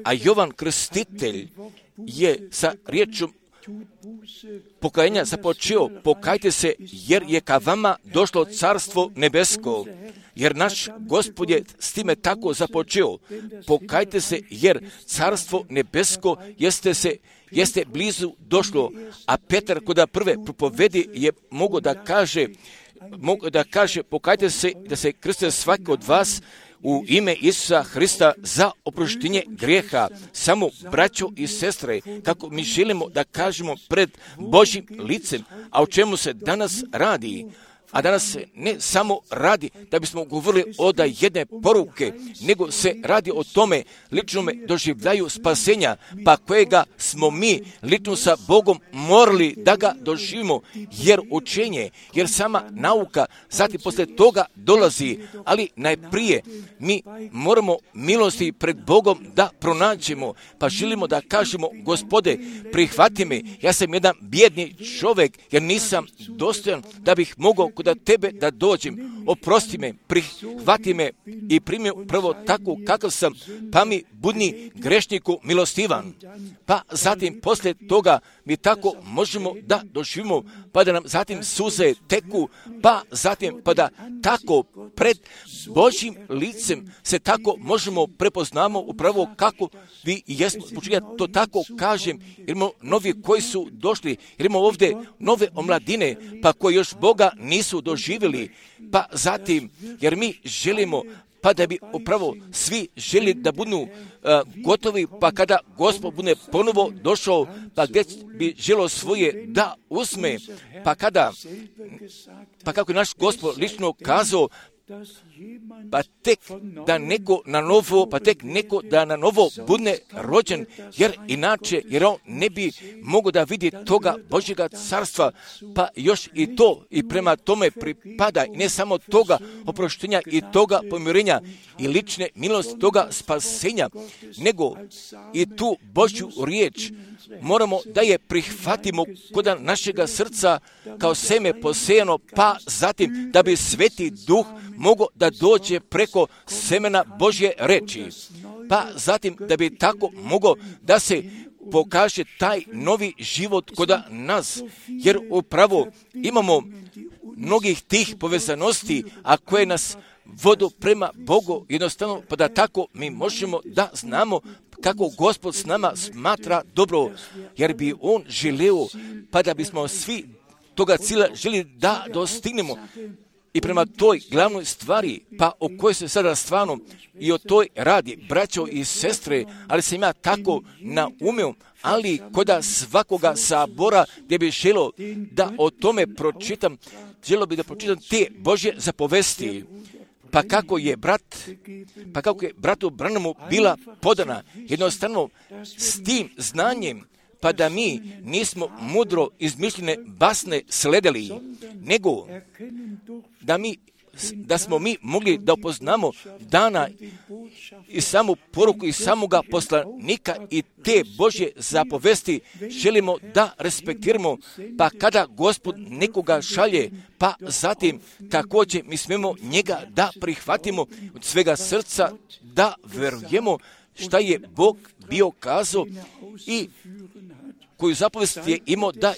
A Jovan Krstitelj je sa riječom pokajanja započeo, pokajte se jer je ka vama došlo carstvo nebesko. Jer naš Gospod je s time tako započeo. Pokajte se jer carstvo nebesko jeste blizu došlo. A Petar kod prve propovedi je mogao da kaže pokajte se da se krste svaki od vas u ime Isusa Hrista za oproštenje grijeha. Samo braćo i sestre, kako mi želimo da kažemo pred Božjim licem, a o čemu se danas radi. A danas se ne samo radi da bismo govorili od jedne poruke, nego se radi o tome ličnome doživljaju spasenja, pa kojega smo mi lično sa Bogom morali da ga doživimo, jer učenje, jer sama nauka, zatim posle toga dolazi, ali najprije mi moramo milosti pred Bogom da pronađemo, pa želimo da kažemo, Gospode, prihvati me, ja sam jedan bijedni čovjek, jer nisam dostojan da bih mogao kod tebe da dođem, oprosti me, prihvati me i primi prvo tako kakav sam, pa mi budni grešniku milostivan. Pa zatim poslije toga mi tako možemo da doživimo, pa da nam zatim suze teku, pa zatim pa da tako pred Božjim licem se tako možemo prepoznamo upravo kako vi i jesmo. Ja to tako kažem, jer imamo novi koji su došli, jer imamo ovdje nove omladine, pa koji još Boga nisu doživjeli, pa zatim, jer mi želimo, pa da bi upravo svi želi da budu gotovi, pa kada Gospod bude ponovo došao, pa gdje bi želio svoje da uzme, pa kako je naš Gospod lično kazao, pa tek neko da na novo bude rođen, jer on ne bi mogao da vidi toga Božjega carstva, pa još i to i prema tome pripada i ne samo toga oproštenja i toga pomirenja i lične milosti toga spasenja, nego i tu Božju riječ moramo da je prihvatimo kod našega srca kao seme posejano, pa zatim da bi Sveti Duh mogao da dođe preko semena Božje reči, pa zatim da bi tako mogao da se pokaže taj novi život kod nas, jer upravo imamo mnogih tih povezanosti, a koje nas vodu prema Bogu, jednostavno, pa da tako mi možemo da znamo kako Gospod s nama smatra dobro, jer bi On želeo, pa da bismo svi toga cilja želi da dostignemo. I prema toj glavnoj stvari, pa o kojoj se sada stvarno i o toj radi, braćo i sestre, ali sam ja tako naumio, ali koda svakoga sabora gdje bi želio da o tome pročitam, želio bi da pročitam te Božje zapovesti, pa kako je bratu Branhamu bila podana, jednostavno s tim znanjem, pa da mi nismo mudro izmišljene basne sledili, nego da smo mi mogli da upoznamo dana i samu poruku i samoga poslanika i te Božje zapovesti želimo da respektiramo, pa kada Gospod nekoga šalje, pa zatim također mi smemo njega da prihvatimo od svega srca, da verujemo šta je Bog bio kazao i koju zapovest je imao da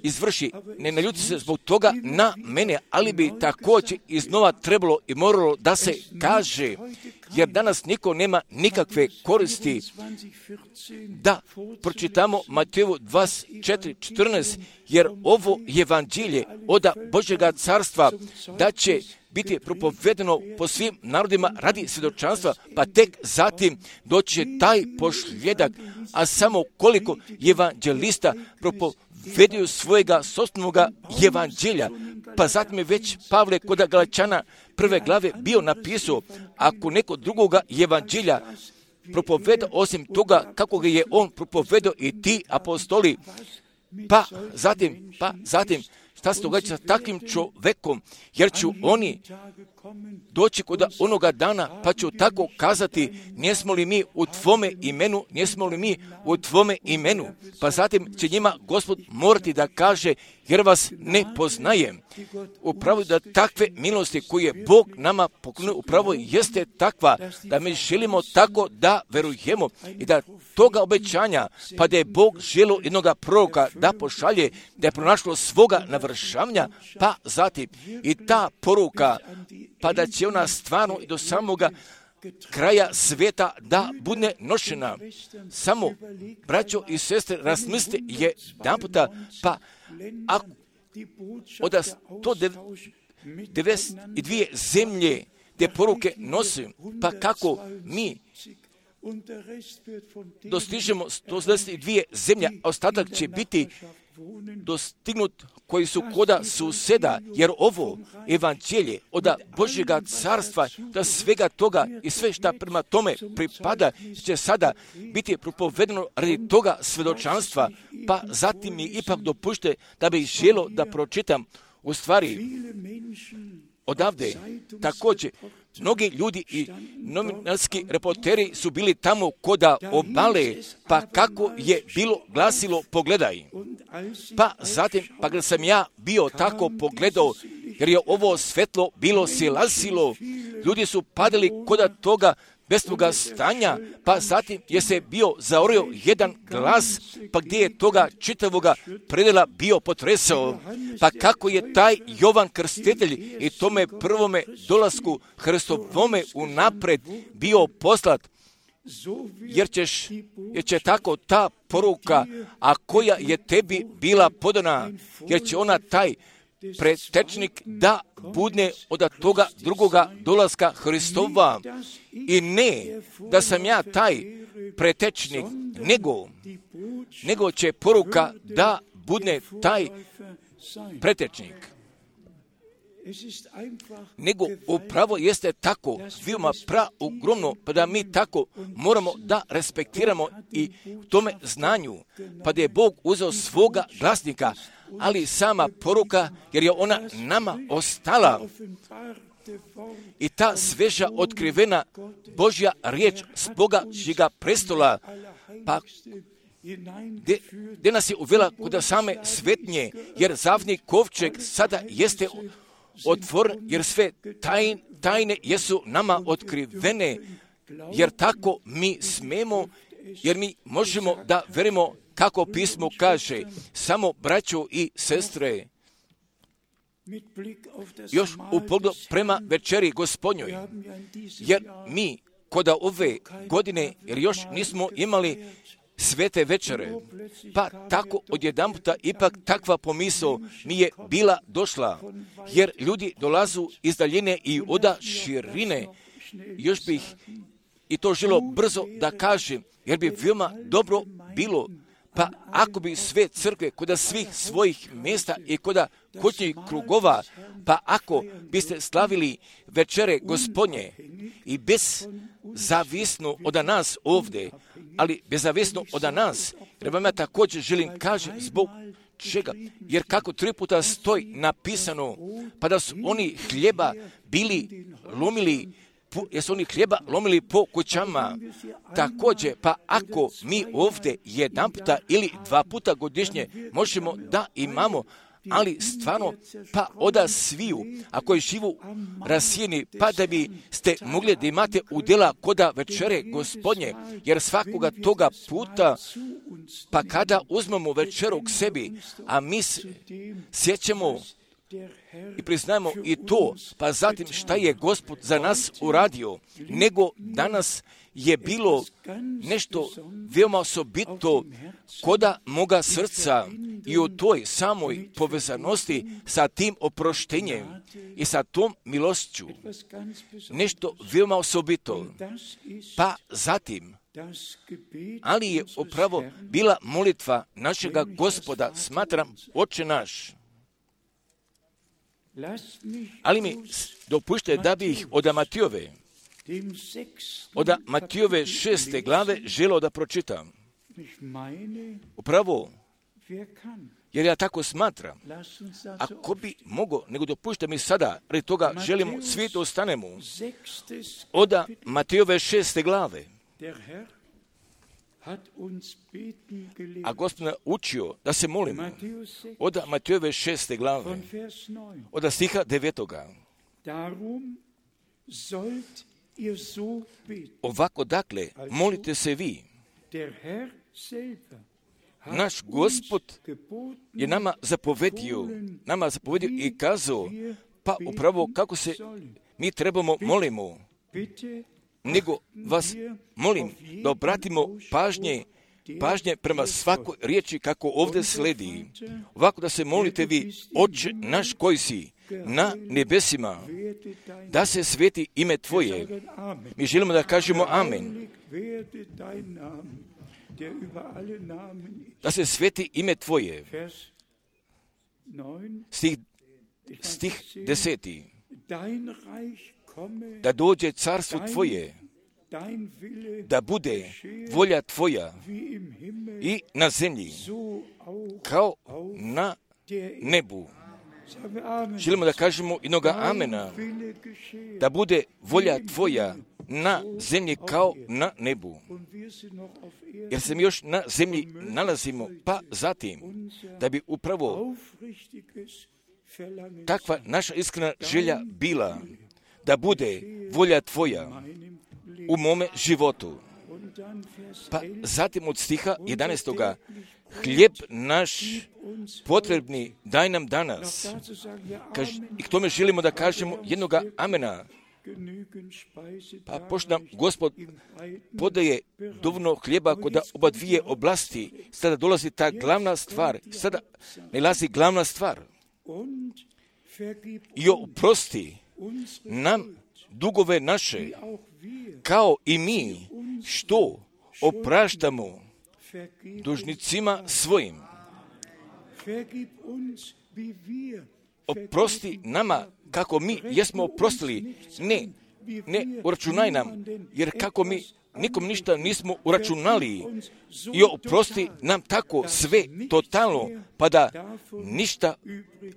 izvrši. Ne naljuti se zbog toga na mene, ali bi također iznova trebalo i moralo da se kaže, jer danas niko nema nikakve koristi da pročitamo Mateju 24:14, jer ovo evanđelje od Božjega carstva da će biti propovedeno po svim narodima radi svjedočanstva, pa tek zatim doći će taj pošljedak, a samo koliko evanđelista propoveduju svojega sopstvenoga evanđelja, pa zatim je već Pavle kod Galačana 1. glave bio napisao, ako neko drugoga evanđelja propoveda osim toga kako ga je on propovedao i ti apostoli, pa zatim šta se događa sa takvim čovekom, jer ću oni doći kod onoga dana, pa ću tako kazati, nismo li mi u tvome imenu, pa zatim će njima Gospod morati da kaže, jer vas ne poznajem. Upravo da takve milosti koje Bog nama poklonio, upravo jeste takva, da mi želimo tako da verujemo i da toga obećanja, pa da je Bog želio jednoga proroka da pošalje, da je pronašlo svoga navršavanja, pa zatim i ta poruka, pa da će ona stvarno i do samoga kraja svijeta da bude nošena. Samo, braćo i sestre, razmislite jedanputa, pa ako od 192 zemlje te poruke nosi, pa kako mi dostižemo 192 zemlje, a ostatak će biti dostignut koji su koda suseda, jer ovo evanđelje od Božjega carstva, da svega toga i sve šta prema tome pripada, će sada biti propovedeno radi toga svjedočanstva, pa zatim mi ipak dopušte da bih želio da pročitam u stvari odavde. Također, mnogi ljudi i novinarski reporteri su bili tamo koda obale, pa kako je bilo glasilo, pogledaj. Pa zatim, pa kada sam ja bio tako pogledao, jer je ovo svetlo bilo silazilo, ljudi su padali koda toga bez toga stanja, pa zatim je se bio zaorio jedan glas, pa gdje je toga čitavoga predela bio potresao, pa kako je taj Jovan Krstitelj i tome prvome dolasku Hristovome unapred bio poslat, jer će tako ta poruka, a koja je tebi bila podana, jer će ona taj pretečnik da budne od toga drugoga dolaska Hristova. I ne da sam ja taj pretečnik, nego će poruka da budne taj pretečnik. Nego upravo jeste tako, veoma ogromno, pa da mi tako moramo da respektiramo i tome znanju, pa da je Bog uzeo svoga glasnika, ali sama poruka, jer je ona nama ostala. I ta sveža otkrivena Božja riječ s Božjega prestola, pa gdje nas je uvela kod same svetnje, jer zavni kovčeg sada jeste otvoren, jer sve tajne jesu nama otkrivene, jer tako mi smemo, jer mi možemo da verimo kako pismo kaže, samo braćo i sestre. još u pogledu prema večeri Gospodnjoj, jer mi kod ove godine, jer još nismo imali svete večere, pa tako odjedanputa ipak takva pomisao mi je bila došla, jer ljudi dolazu iz daljine i oda širine. Još bih i to želo brzo da kažem, jer bi veoma dobro bilo, pa ako bi sve crkve kod svih svojih mjesta i kod kućnih krugova, pa ako biste slavili večere Gospodnje i bezzavisno od nas ovdje, ali bezzavisno od nas, jer vam ja također želim kažem zbog čega, jer kako 3 puta stoji napisano, pa da su oni hljeba bili lomili, jer su oni hljeba lomili po kućama. Također, pa ako mi ovdje 1 puta ili 2 puta godišnje možemo da imamo, ali stvarno, pa oda sviju, ako je živu rasijeni, pa da bi ste mogli da imate udjela koda večere Gospodnje, jer svakoga toga puta, pa kada uzmemo večeru k sebi, a mi sjećamo i priznajemo i to, pa zatim šta je Gospod za nas uradio, nego danas je bilo nešto veoma osobito koda moga srca i u toj samoj povezanosti sa tim oproštenjem i sa tom milošću. Nešto veoma osobito. Pa zatim, ali je upravo bila molitva našega Gospoda, smatram, Oče naš. Ali mi dopušte da bi ih od Matijove 6. glave želeo da pročitam. Upravo, jer ja tako smatram, ako bi mogo, nego dopušte mi sada, radi toga želimo svi da ostanemo, od Matijove 6. glave. A Gospod nas učio da se molimo od Matijove 6. glave, od stiha 9. Ovako dakle, molite se vi. Naš Gospod je nama zapovedio i kazao, pa upravo kako se mi trebamo molimo, nego vas molim da obratimo pažnje prema svakoj riječi kako ovdje sledi. Ovako da se molite vi, Oče naš koji si na nebesima, da se sveti ime Tvoje. Mi želimo da kažemo amen. Da se sveti ime Tvoje. Stih 10. Da dođe carstvo Tvoje, da bude volja Tvoja i na zemlji, kao na nebu. Želimo da kažemo jednoga amena, da bude volja Tvoja na zemlji kao na nebu. Jer se mi još na zemlji nalazimo, pa zatim, da bi upravo takva naša iskrena želja bila, da bude volja Tvoja u mome životu. Pa zatim od stiha 11. Hljeb naš potrebni daj nam danas. I k tome želimo da kažemo jednoga amena. Pa pošto nam Gospod podaje dovoljno hljeba kod oba dvije oblasti, sada dolazi ta glavna stvar. Sada nalazi glavna stvar. I oprosti nam dugove naše, kao i mi što opraštamo dužnicima svojim. Oprosti nama kako mi jesmo oprostili, ne uračunaj nam, jer kako mi nikom ništa nismo uračunali, i oprosti nam tako sve totalno, pa da ništa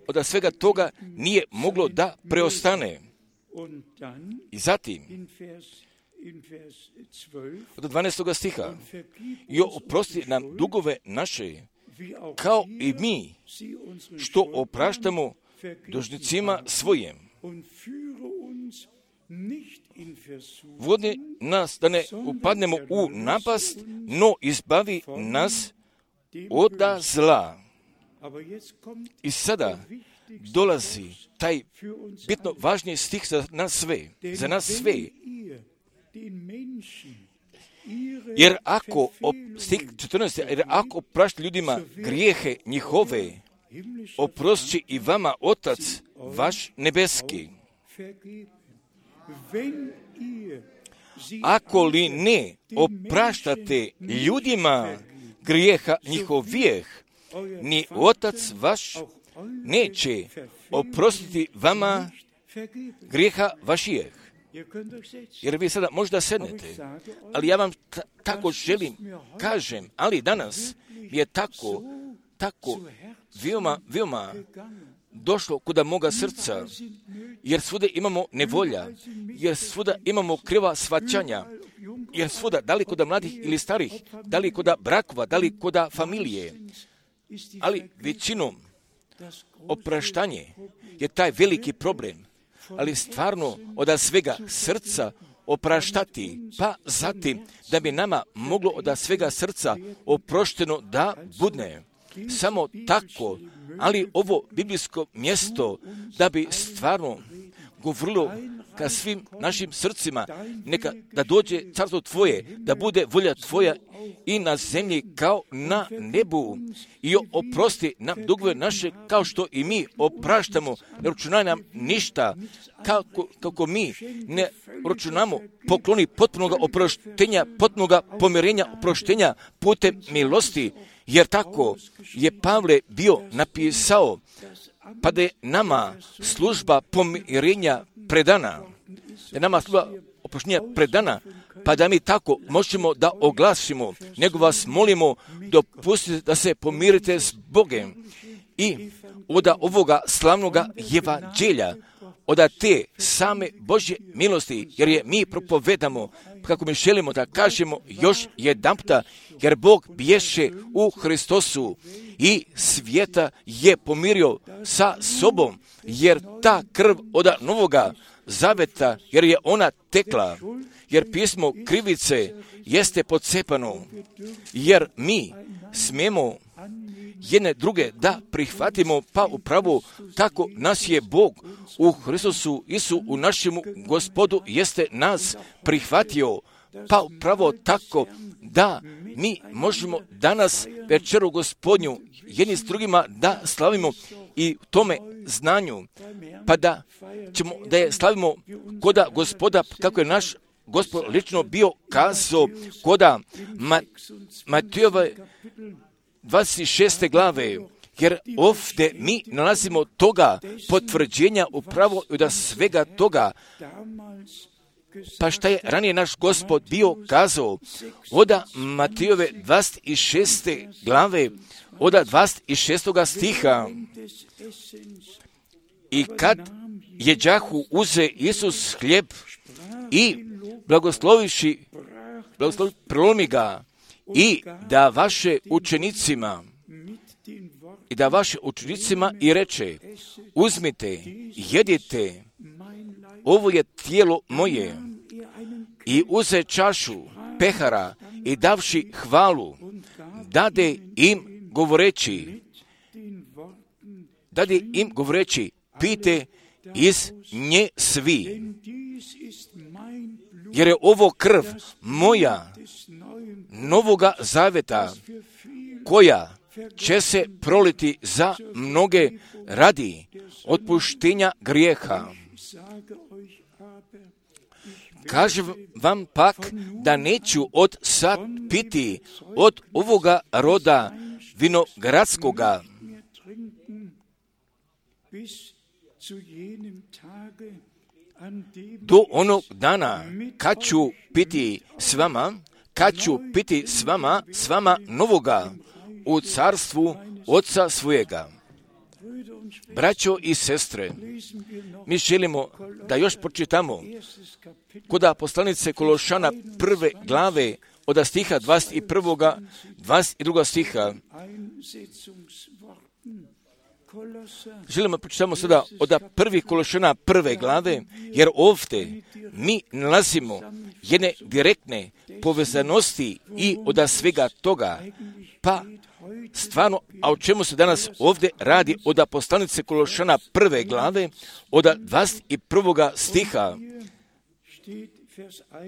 od svega toga nije moglo da preostane. I zatim, od 12. stiha, i oprosti nam dugove naše, kao i mi što opraštamo dužnicima svojim. Vodi nas da ne upadnemo u napast, no izbavi nas od zla. I sada dolazi taj bitno važniji stih za nas sve. Jer ako, stih 14, jer ako oprašti ljudima grijehe njihove, oprostit i vama Otac vaš nebeski. Ako li ne opraštate ljudima grijeha njihovih, ni Otac vaš neće oprostiti vama grijeha vašijeh. Jer vi sada možda sednete, ali ja vam tako želim, kažem, ali danas je tako veoma došlo kuda moga srca, jer svuda imamo nevolja, jer svuda imamo kriva shvaćanja, jer svuda, da li kuda mladih ili starih, da li kuda brakova, da li kuda familije, ali većinom opraštanje je taj veliki problem, ali stvarno od svega srca opraštati, pa zatim da bi nama moglo od svega srca oprošteno da budne. Samo tako, ali ovo biblijsko mjesto da bi stvarno govorilo ka svim našim srcima, neka da dođe carstvo Tvoje, da bude volja Tvoja i na zemlji kao na nebu. I oprosti nam dugove naše kao što i mi opraštamo, ne računaj nam ništa, kako mi ne računamo pokloni potpunoga oproštenja, potpunoga pomirenja, oproštenja putem milosti, jer tako je Pavle bio napisao, pa da je nama služba pomirenja predana, pa da mi tako možemo da oglasimo, nego vas molimo, dopustite da se pomirite s Bogom i od ovoga slavnoga evanđelja, od te same Božje milosti, jer je mi propovedamo, kako mi želimo da kažemo još jedanputa, jer Bog bješe u Hristosu i svijeta je pomirio sa sobom, jer ta krv od novoga zaveta, jer je ona tekla, jer pismo krivice jeste pocepano, jer mi smijemo jedne druge da prihvatimo, pa upravo tako nas je Bog u Hristosu Isu, u našemu Gospodu, jeste nas prihvatio, pa upravo tako da mi možemo danas večeru Gospodnju jedni s drugima da slavimo i tome znanju, pa da je slavimo koda Gospoda, kako je naš Gospod lično bio kazao koda Matejove 26. glave, jer ovdje mi nalazimo toga potvrđenja upravo od svega toga. Pa šta je ranije naš Gospod bio kazao od Matejove 26. glave, od 26. stiha. I kad jeđahu uze Isus hljeb i blagosloviši prelomi ga i da vaše učenicima i reče, uzmite, jedite, ovo je tijelo moje. I uze čašu pehara i davši hvalu, dade im govoreći, pijte iz nje svi, jer je ovo krv moja novoga zaveta, koja će se proliti za mnoge radi otpuštenja grijeha. Kažem vam pak da neću od sad piti od ovoga roda vinogradskoga, do onog dana kad ću piti s vama novoga u carstvu Oca svojega. Braćo i sestre, mi želimo da još pročitamo kod poslanice Kološana 1. glave od stiha 21. 22. stiha. Želimo pročitamo sada od prvih Kološana 1. glave, jer ovdje mi nalazimo jedne direktne povezanosti i od svega toga, pa stvarno, a o čemu se danas ovdje radi od poslanice Kološana 1. glave, od 21. stiha,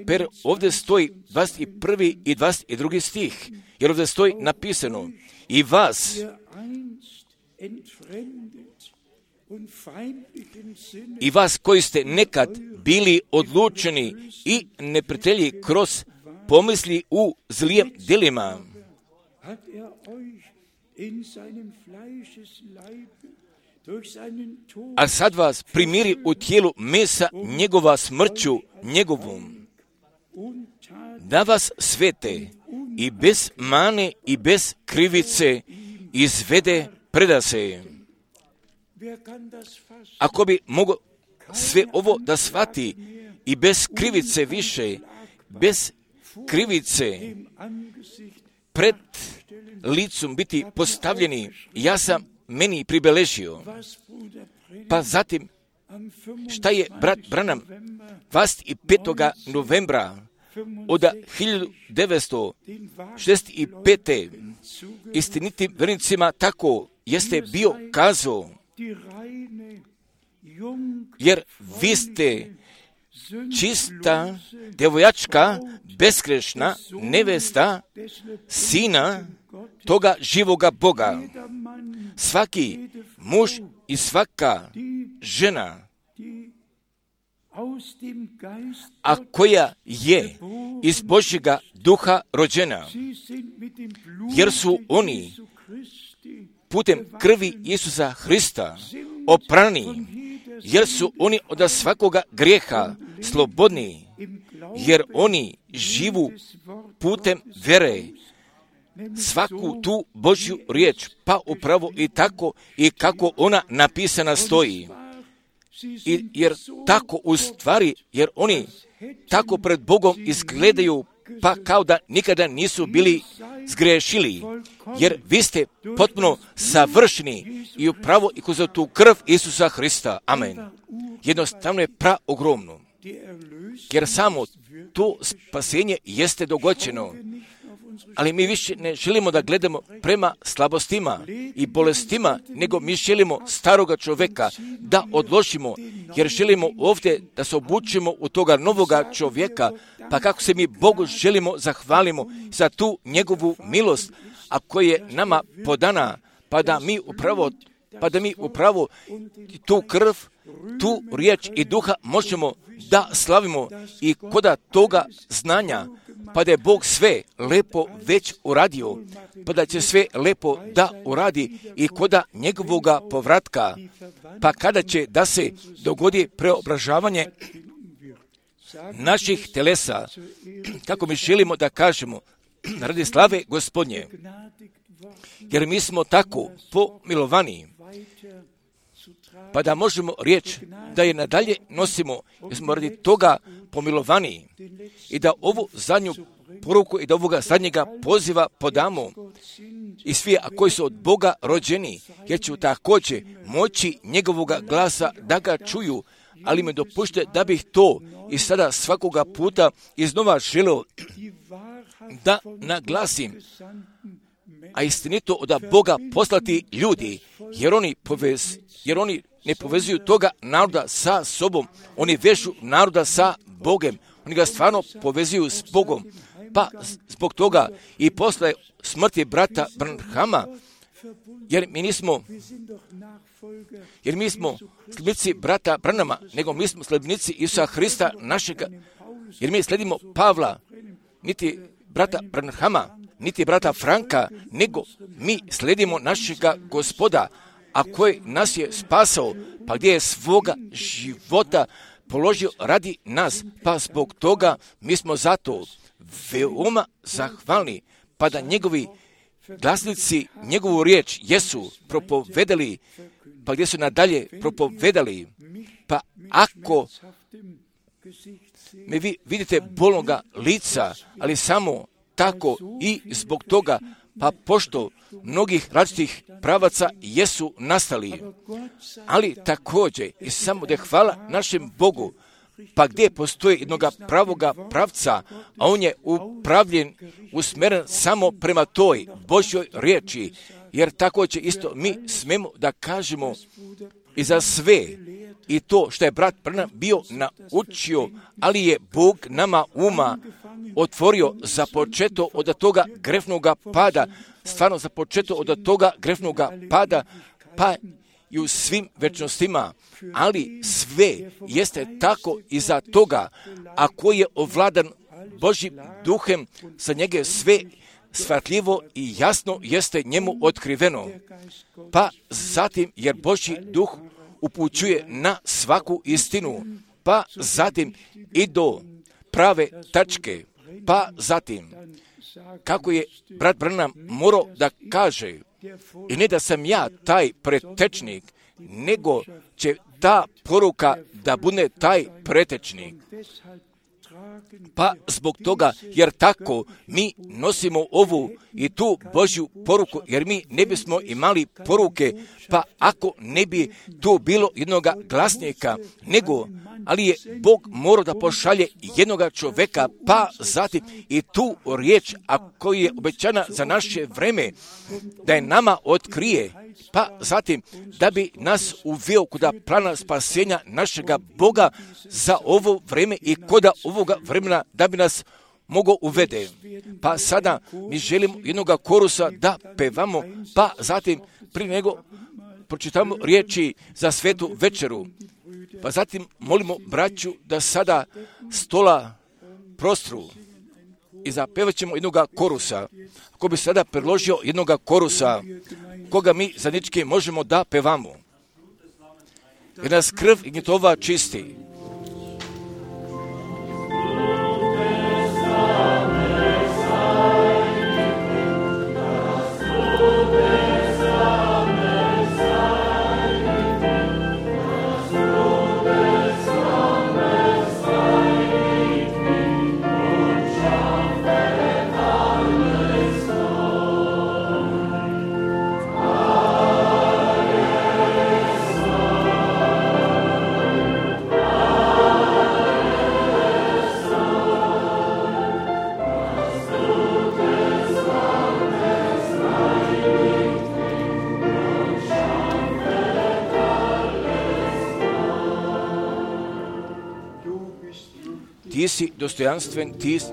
per ovdje stoji 21. i 22. stih, jer ovdje stoji napisano: i vas, koji ste nekad bili odlučeni i neprijatelji kroz pomisli u zlijem djelima, a sad vas primiri u tijelu mesa njegova smrću njegovom, da vas svete i bez mane i bez krivice izvede predase. Ako bi mogao sve ovo da shvati i bez krivice više, bez krivice pred licom biti postavljeni, ja sam meni pribeležio. Pa zatim, šta je brat Branham 25. novembra od 1965. istinitim vernicima tako jeste bio kazao, jer vi ste čista devoječka, besgrešna nevesta sina toga živoga Boga. Svaki muž i svaka žena, a koja je iz Božjega duha rođena, jer su oni putem krvi Isusa Hrista oprani, jer su oni od svakoga grijeha slobodni, jer oni živu putem vere svaku tu Božju riječ, pa upravo i tako i kako ona napisana stoji. Jer tako u stvari, jer oni tako pred Bogom izgledaju, pa kao da nikada nisu bili zgrešili, jer vi ste potpuno savršeni i upravo i kroz tu krv Isusa Hrista. Amen. Jednostavno je praogromno, jer samo to spasenje jeste dogođeno. Ali mi više ne želimo da gledamo prema slabostima i bolestima, nego mi želimo staroga čovjeka da odložimo, jer želimo ovdje da se obučimo u toga novoga čovjeka, pa kako se mi Bogu želimo zahvalimo za tu njegovu milost, a koja je nama podana, pa da mi upravo tu krv, tu riječ i duha možemo da slavimo i koda toga znanja, pa da je Bog sve lepo već uradio, pa da će sve lepo da uradi i koda njegovoga povratka, pa kada će da se dogodi preobražavanje naših telesa, kako mi želimo da kažemo, radi slave Gospodnje, jer mi smo tako pomilovani, pa da možemo riječ da je nadalje nosimo, jer smo radi toga pomilovani i da ovu zadnju poruku i da ovoga zadnjega poziva podamo i svi koji su od Boga rođeni, jer ću također moći njegovoga glasa da ga čuju, ali me dopušte da bih to i sada svakoga puta iznova želeo da naglasim, a istinito od Boga poslati ljudi, jer oni ne povezuju toga naroda sa sobom, oni vežu naroda sa Bogom, oni ga stvarno povezuju s Bogom, pa zbog toga i posle smrti brata Branhama, jer mi smo sledbenici brata Branhama, nego mi smo sledbenici Isusa Hrista našega, jer mi sledimo Pavla, niti brata Branhama, niti brata Franka, nego mi sledimo našega Gospoda, a koji nas je spasao, pa gdje je svoga života položio radi nas, pa zbog toga mi smo zato veoma zahvalni, pa da njegovi glasnici njegovu riječ jesu propovedali, pa gdje su nadalje propovedali, pa ako me vi vidite bolnoga lica, ali samo tako i zbog toga, Pa pošto mnogih različitih pravaca jesu nastali, ali također i samo da je hvala našem Bogu, pa gdje postoji jednoga pravoga pravca, a on je upravljen, usmjeren samo prema toj Božjoj riječi, jer tako će isto mi smemo da kažemo i za sve i to što je brat Branham bio naučio, ali je Bog nama uma otvorio započeto od toga grefnoga pada, stvarno započeto od toga grefnoga pada, pa i u svim večnostima, ali sve jeste tako iza toga, a koji je ovladan Božjim duhem, za njega sve shvatljivo i jasno jeste njemu otkriveno. Pa zatim, jer Božji duh upućuje na svaku istinu, pa zatim i do prave tačke, pa zatim, kako je brat Branham morao da kaže, i ne da sam ja taj pretečnik, nego će ta poruka da bude taj pretečnik. Pa zbog toga, jer tako mi nosimo ovu i tu Božju poruku, jer mi ne bismo imali poruke, pa ako ne bi tu bilo jednoga glasnika, nego, ali je Bog morao da pošalje jednoga čoveka, pa zatim i tu riječ, a koja je obećana za naše vreme, da je nama otkrije, pa zatim da bi nas uveo kuda plana spasenja našega Boga za ovo vreme i koda ovoga vremena da bi nas mogao uvede. Pa sada mi želimo jednoga korusa da pevamo, pa zatim prije nego pročitamo riječi za svetu večeru. Pa zatim molimo braću da sada stola prostru i zapevat ćemo jednoga korusa. Ako bi sada predložio jednoga korusa, koga mi zajednički možemo da pevamo. Jer nas krv i gnjetova čisti. Ti si dostojanstven, ti si...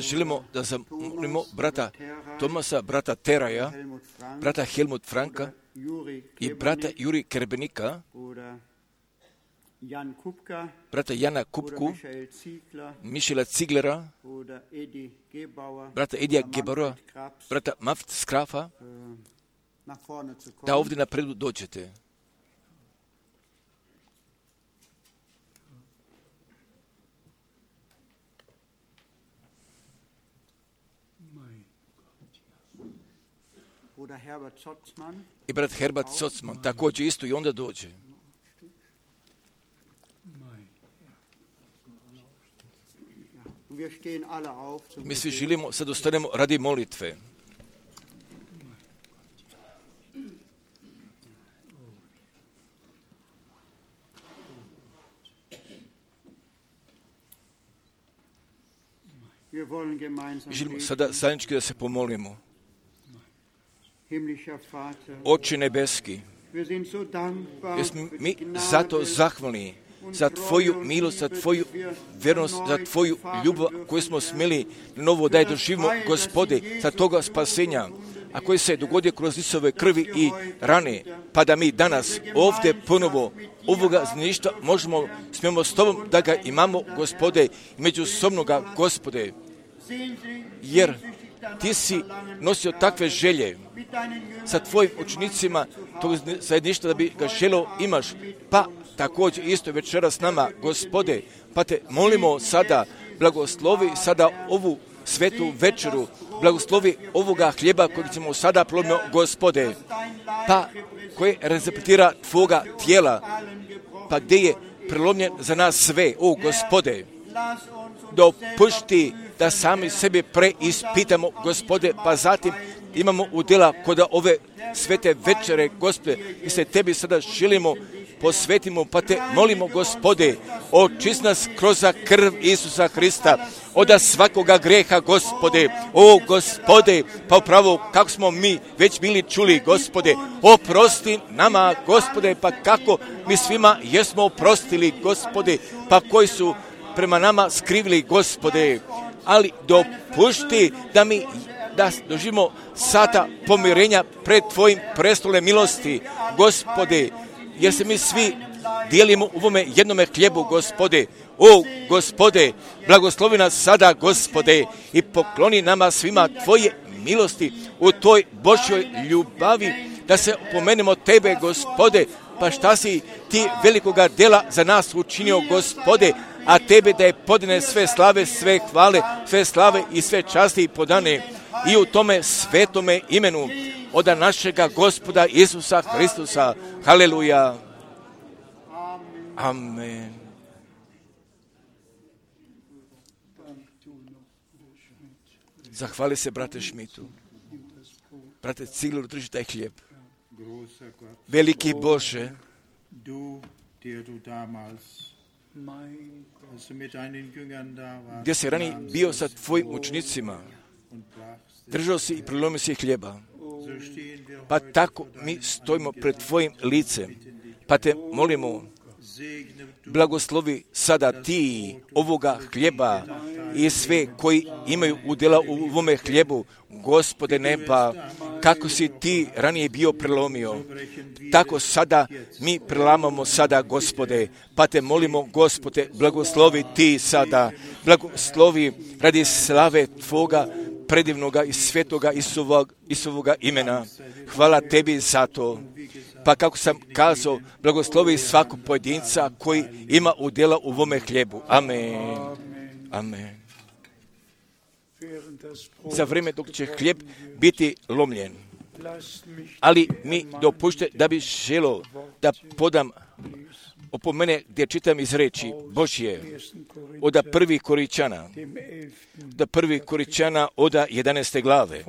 Želimo da zamolimo brata Tomasa, brata Teraja, brata Helmut Franka i brata Juri Kerbenika, brata Jana Kupku, Mišela Ziglera, brata Edija Gebauera, brata Maft Skrafa, da ovdje napredu dođete. I brat Herbert Zotzman također isto i onda dođe. Mi svi želimo, sad ostanemo radi molitve. Želimo sada zajednički da se pomolimo. Oče nebeski, jesmo mi zato zahvalni za Tvoju milost, za Tvoju vjernost, za Tvoju ljubav koju smo smjeli novo da je doživimo, Gospode, za toga spasenja, a koji se dogodio kroz Isove krvi i rane, pa da mi danas ovdje ponovo ovoga znaništva smijemo s Tobom da ga imamo, Gospode, međusobnoga, Gospode, jer Ti si nosio takve želje sa Tvojim učenicima tog zajedništva da bi ga želeo imaš, pa također isto večeras nama, Gospode, pa Te molimo sada, blagoslovi sada ovu svetu večeru, blagoslovi ovoga hljeba kojeg ćemo sada prolomiti, Gospode, pa koji reprezentira Tvoga tijela, pa gdje je prelomljen za nas sve, o Gospode, dopušti da sami sebe preispitamo, Gospode, pa zatim imamo udjela kod ove svete večere, Gospode, i se Tebi sada želimo posvetimo, pa Te molimo, Gospode, očisti nas kroz krv Isusa Hrista od svakoga greha, Gospode, o Gospode, pa upravo kako smo mi već bili čuli, Gospode, oprosti nama, Gospode, pa kako mi svima jesmo oprostili, Gospode, pa koji su prema nama skrivili, Gospode, ali dopušti da doživimo sata pomirenja pred Tvojim prestolom milosti, Gospode, jer se mi svi dijelimo u ovome jednome hljebu, Gospode. O Gospode, blagoslovi nas sada, Gospode, i pokloni nama svima Tvoje milosti u Toj Božjoj ljubavi, da se opomenemo Tebe, Gospode, pa šta si Ti velikoga dela za nas učinio, Gospode, a Tebe da je podane sve slave, sve hvale, sve slave i sve časti podane i u tome svetome imenu od našega Gospoda Isusa Hristusa. Haleluja. Amen. Zahvali se, brate Šmitu. Brate Cigler, drži taj hljeb. Veliki Bože, gdje si ranije bio sa Tvojim učenicima, držao si i prelomio si hljeba, pa tako mi stojimo pred Tvojim licem, pa Te molimo, blagoslovi sada Ti ovoga hljeba i sve koji imaju udjela u ovome hljebu, Gospode neba, kako si Ti ranije bio prelomio, tako sada mi prelamamo sada, Gospode, pa Te molimo, Gospode, blagoslovi Ti sada, blagoslovi radi slave Tvoga predivnoga i svetoga Isusovoga imena. Hvala Tebi za to. Pa kako sam kazao, blagoslovi svakog pojedinca koji ima udjela u ovome hljebu. Amen. Amen. Za vrijeme dok će hljeb biti lomljen, ali mi dopušte da bi želio da podam opomene gdje čitam iz riječi Božje od 1. Koričana, od 11. glave,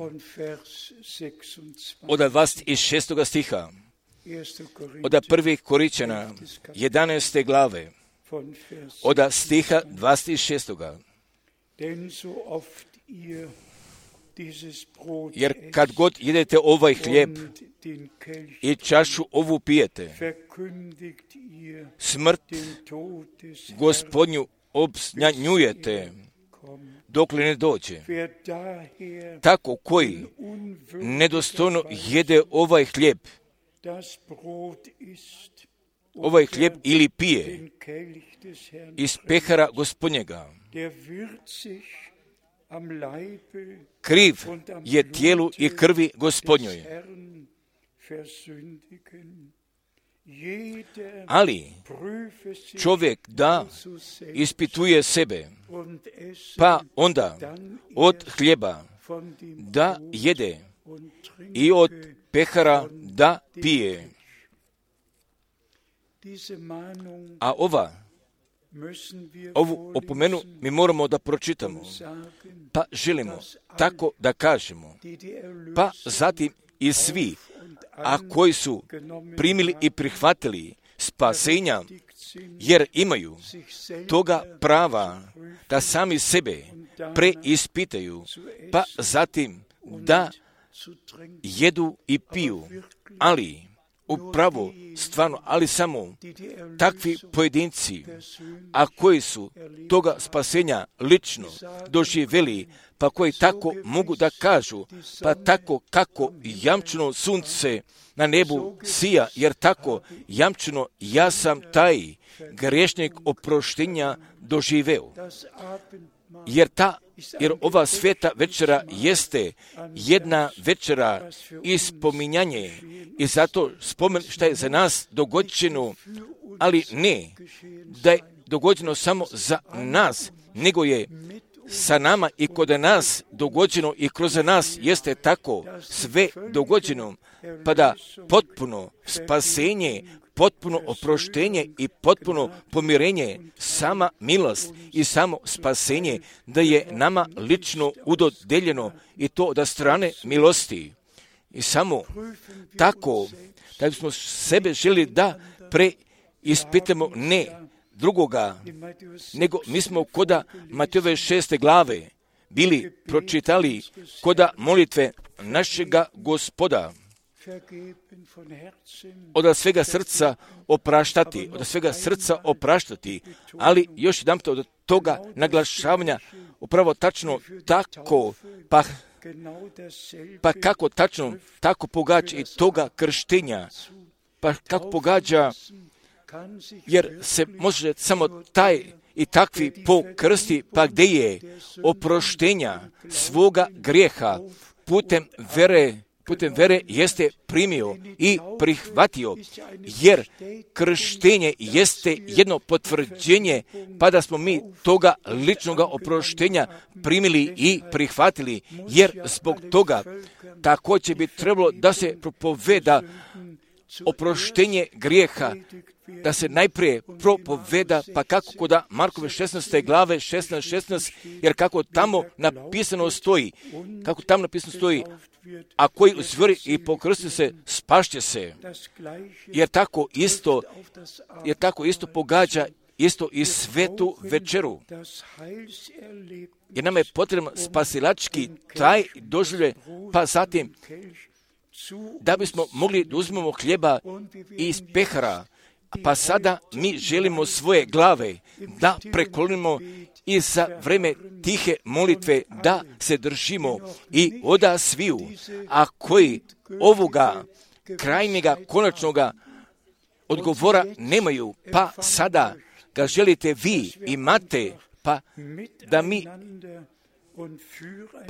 od 26. stiha, od 1. Koričana 11. glave, od stiha 26. Jer kad god jedete ovaj hljeb i čašu ovu pijete, smrt Gospodnju obznanjujete dokle ne dođe. Tako koji nedostojno jede ovaj hljeb ili pije iz pehara Gospodnjega, kriv je tijelu i krvi Gospodnjoj. Ali čovjek da ispituje sebe, pa onda od hljeba da jede i od pehara da pije. A ovu opomenu mi moramo da pročitamo, pa želimo tako da kažemo, pa zatim i svi, a koji su primili i prihvatili spasenja, jer imaju toga prava da sami sebe preispitaju, pa zatim da jedu i piju, ali upravo, stvarno, ali samo takvi pojedinci, a koji su toga spasenja lično doživjeli, pa koji tako mogu da kažu, pa tako kako jamčeno sunce na nebu sija, jer tako jamčeno ja sam taj grešnik oproštenja doživeo. Jer ova sveta večera jeste jedna večera ispominjanje i zato spomen šta je za nas dogođeno, ali ne da je dogođeno samo za nas, nego je sa nama i kod nas dogođeno i kroz nas jeste tako sve dogođeno, pa da potpuno spasenje, potpuno oproštenje i potpuno pomirenje, sama milost i samo spasenje, da je nama lično udodeljeno i to od strane milosti. I samo tako, da bismo sebe želi da preispitamo ne drugoga, nego mi smo koda Matejove 6. glave bili pročitali koda molitve našega Gospoda. Od svega srca opraštati, ali još jedan od toga naglašavanja upravo tačno tako, pa kako tačno, tako pogađa i toga krštenja, pa kako pogađa, jer se može samo taj i takvi pokrsti, pa gdje je oproštenja svoga grijeha putem vere jeste primio i prihvatio, jer krštenje jeste jedno potvrđenje, pa da smo mi toga ličnoga oproštenja primili i prihvatili, jer zbog toga također bi trebalo da se propoveda oproštenje grijeha, da se najprije propoveda, pa kako kod Markove 16. glave 16, jer kako tamo napisano stoji, a koji uzvori i pokrsti se, spašće se, jer tako isto pogađa isto i svetu večeru. Jer nama je potrebno spasilački taj doživljaj, pa zatim da bismo mogli da uzmemo hljeba iz pehara, pa sada mi želimo svoje glave da preklonimo i za vreme tihe molitve da se držimo i oda sviju, a koji ovoga krajnjega konačnoga odgovora nemaju, pa sada ga želite vi imate, pa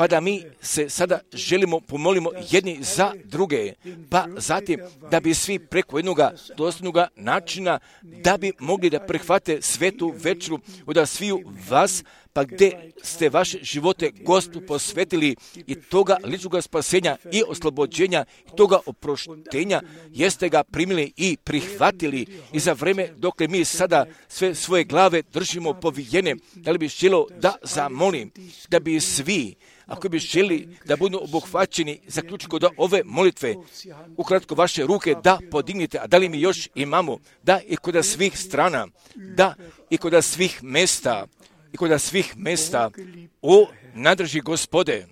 da mi se sada želimo pomolimo jedni za druge, pa zatim da bi svi preko jednoga dostojnoga načina da bi mogli da prihvate svetu večeru od sviju vas, pa gdje ste vaše živote Gospodu posvetili i toga ličnoga spasenja i oslobođenja i toga oproštenja jeste ga primili i prihvatili i za vreme dok mi sada sve svoje glave držimo povijene, da li bi želio da zamolim, da bi svi, ako bi želi da budu obuhvaćeni, zaključiti kod ove molitve, ukratko vaše ruke da podignite, a da li mi još imamo, da i kod svih strana, da i kod svih mesta, o nadrži Gospode,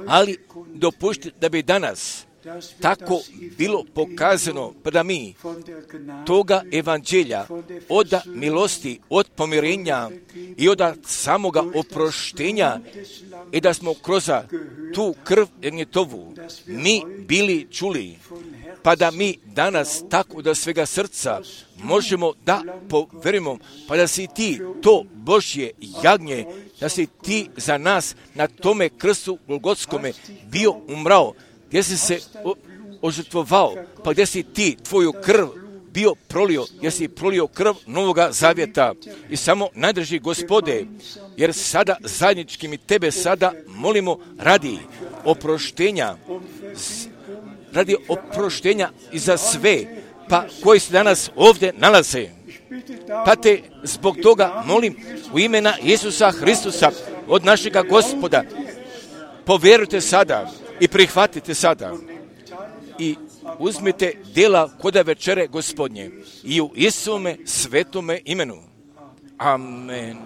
ali dopušti da bi danas tako bilo pokazano da mi toga evanđelja od milosti, od pomirenja i od samoga oproštenja i da smo kroz tu krv Ernjetovu mi bili čuli, pa da mi danas tako da svega srca možemo da poverimo, pa da si ti to Božje jagnje, da si ti za nas na tome krstu Golgotskome bio umrao, gdje si se ožrtvovao, pa gdje si ti tvoju krv bio prolio, jer si prolio krv Novoga Zavjeta. I samo najdrži Gospode, jer sada zajednički mi tebe sada molimo radi oproštenja i za sve, pa koji se danas ovdje nalaze. Pa te zbog toga molim u imena Isusa Hristusa od našega Gospoda, povjerujte sada i prihvatite sada i uzmite djela koda večere Gospodnje i u Isume svetome imenu. Amen.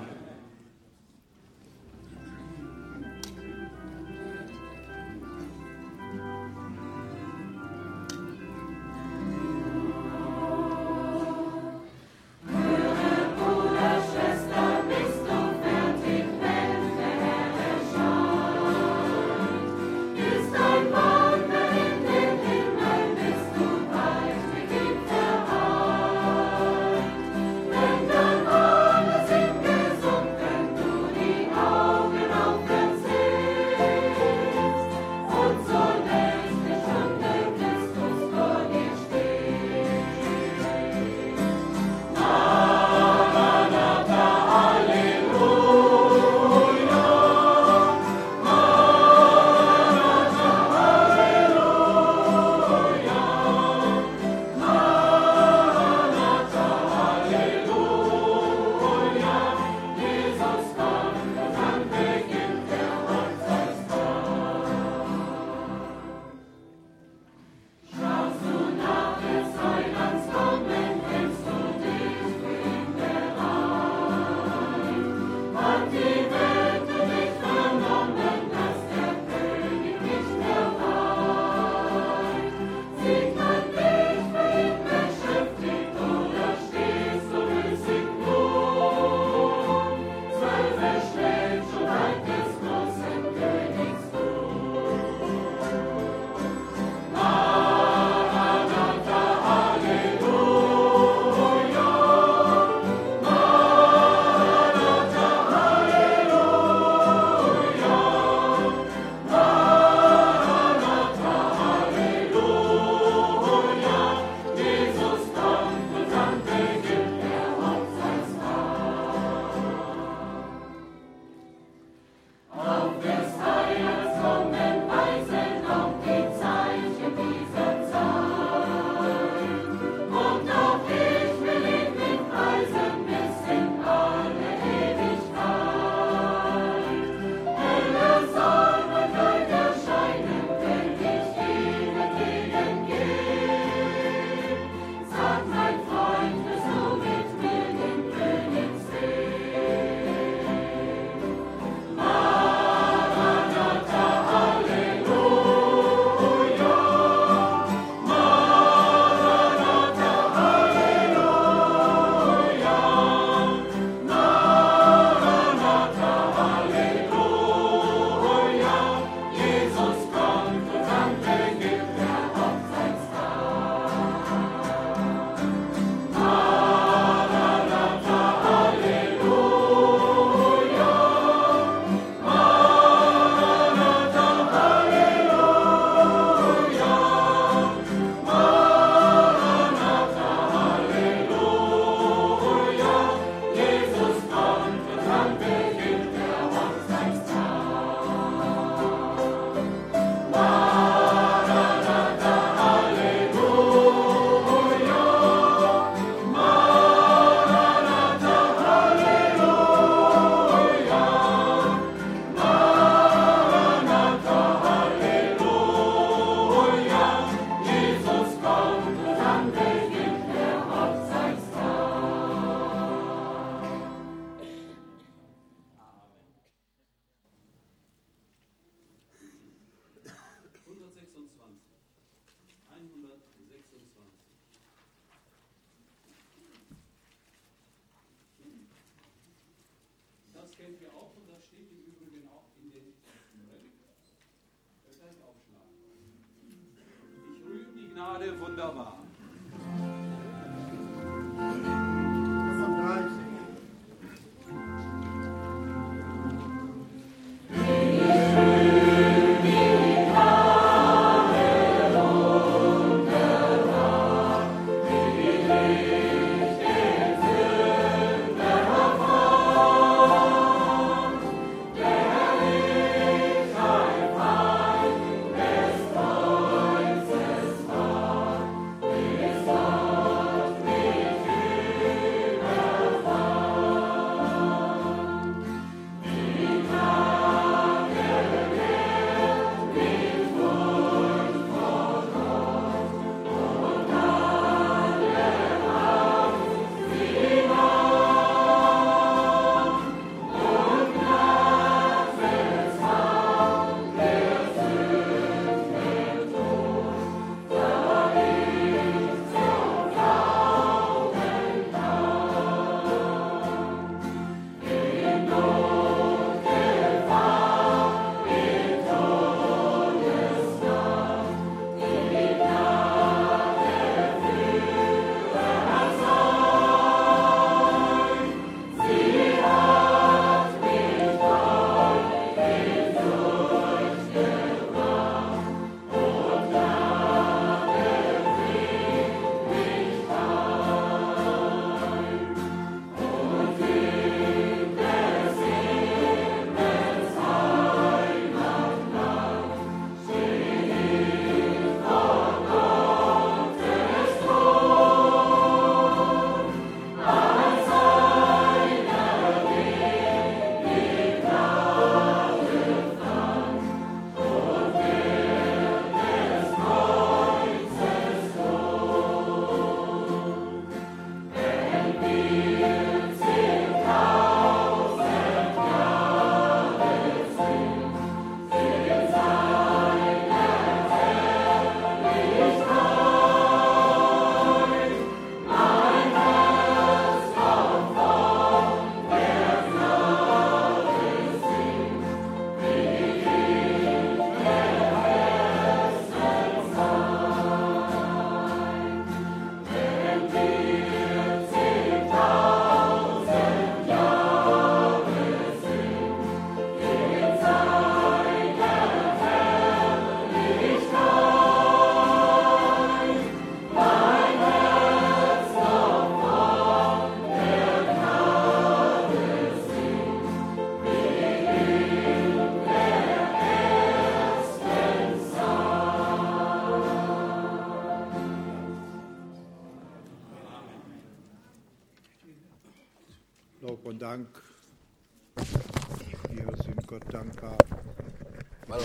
Hvala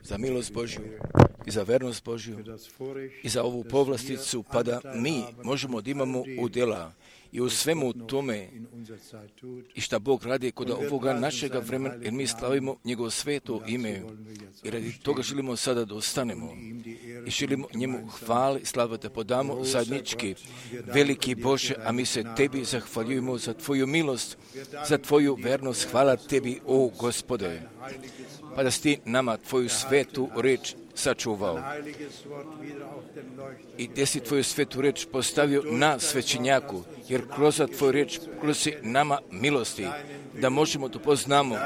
za milost Božju i za vernost Božju i za ovu povlasticu, pa da mi možemo da imamo udjela i u svemu tome i šta Bog radi kod ovoga našega vremena, jer mi slavimo njegovo sveto ime i radi toga želimo sada da ostanemo i želimo njemu hvali, slava da podamo zajednički. Veliki Bože, a mi se tebi zahvaljujemo za tvoju milost, za tvoju vernost. Hvala tebi, o Gospode, pa da si ti nama tvoju svetu reč sačuvao i gdje si tvoju svetu reč postavio na svećenjaku, jer kroz tvoju reč kroz nama milosti, da možemo da poznamo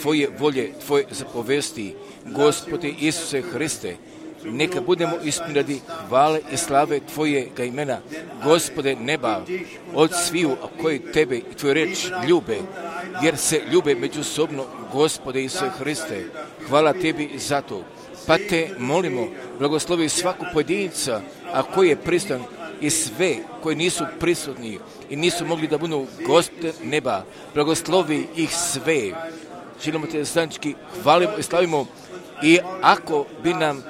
tvoje volje, tvoje zapovesti. Gospode Isuse Hriste, neka budemo ispunjeni radi hvale i slave tvojega imena, Gospode neba, od sviju koji tebe i tvoju reč ljube, jer se ljube međusobno, Gospode Isuse Hriste. Hvala tebi za to. Pa te molimo, blagoslovi svaku pojedinca, a koji je prisutan, i sve koji nisu prisutni i nisu mogli da budu, Gospode neba, blagoslovi ih sve. Želimo te zajednički hvalimo i slavimo, i ako bi nam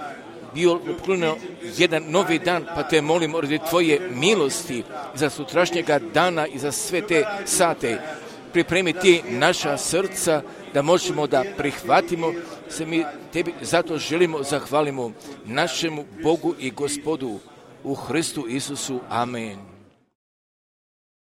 bio poklonio jedan novi dan, pa te molimo radi tvoje milosti za sutrašnjega dana i za sve te sate. Pripremi ti naša srca da možemo da prihvatimo se. Mi tebi zato želimo zahvalimo našemu Bogu i Gospodu u Hristu Isusu. Amen.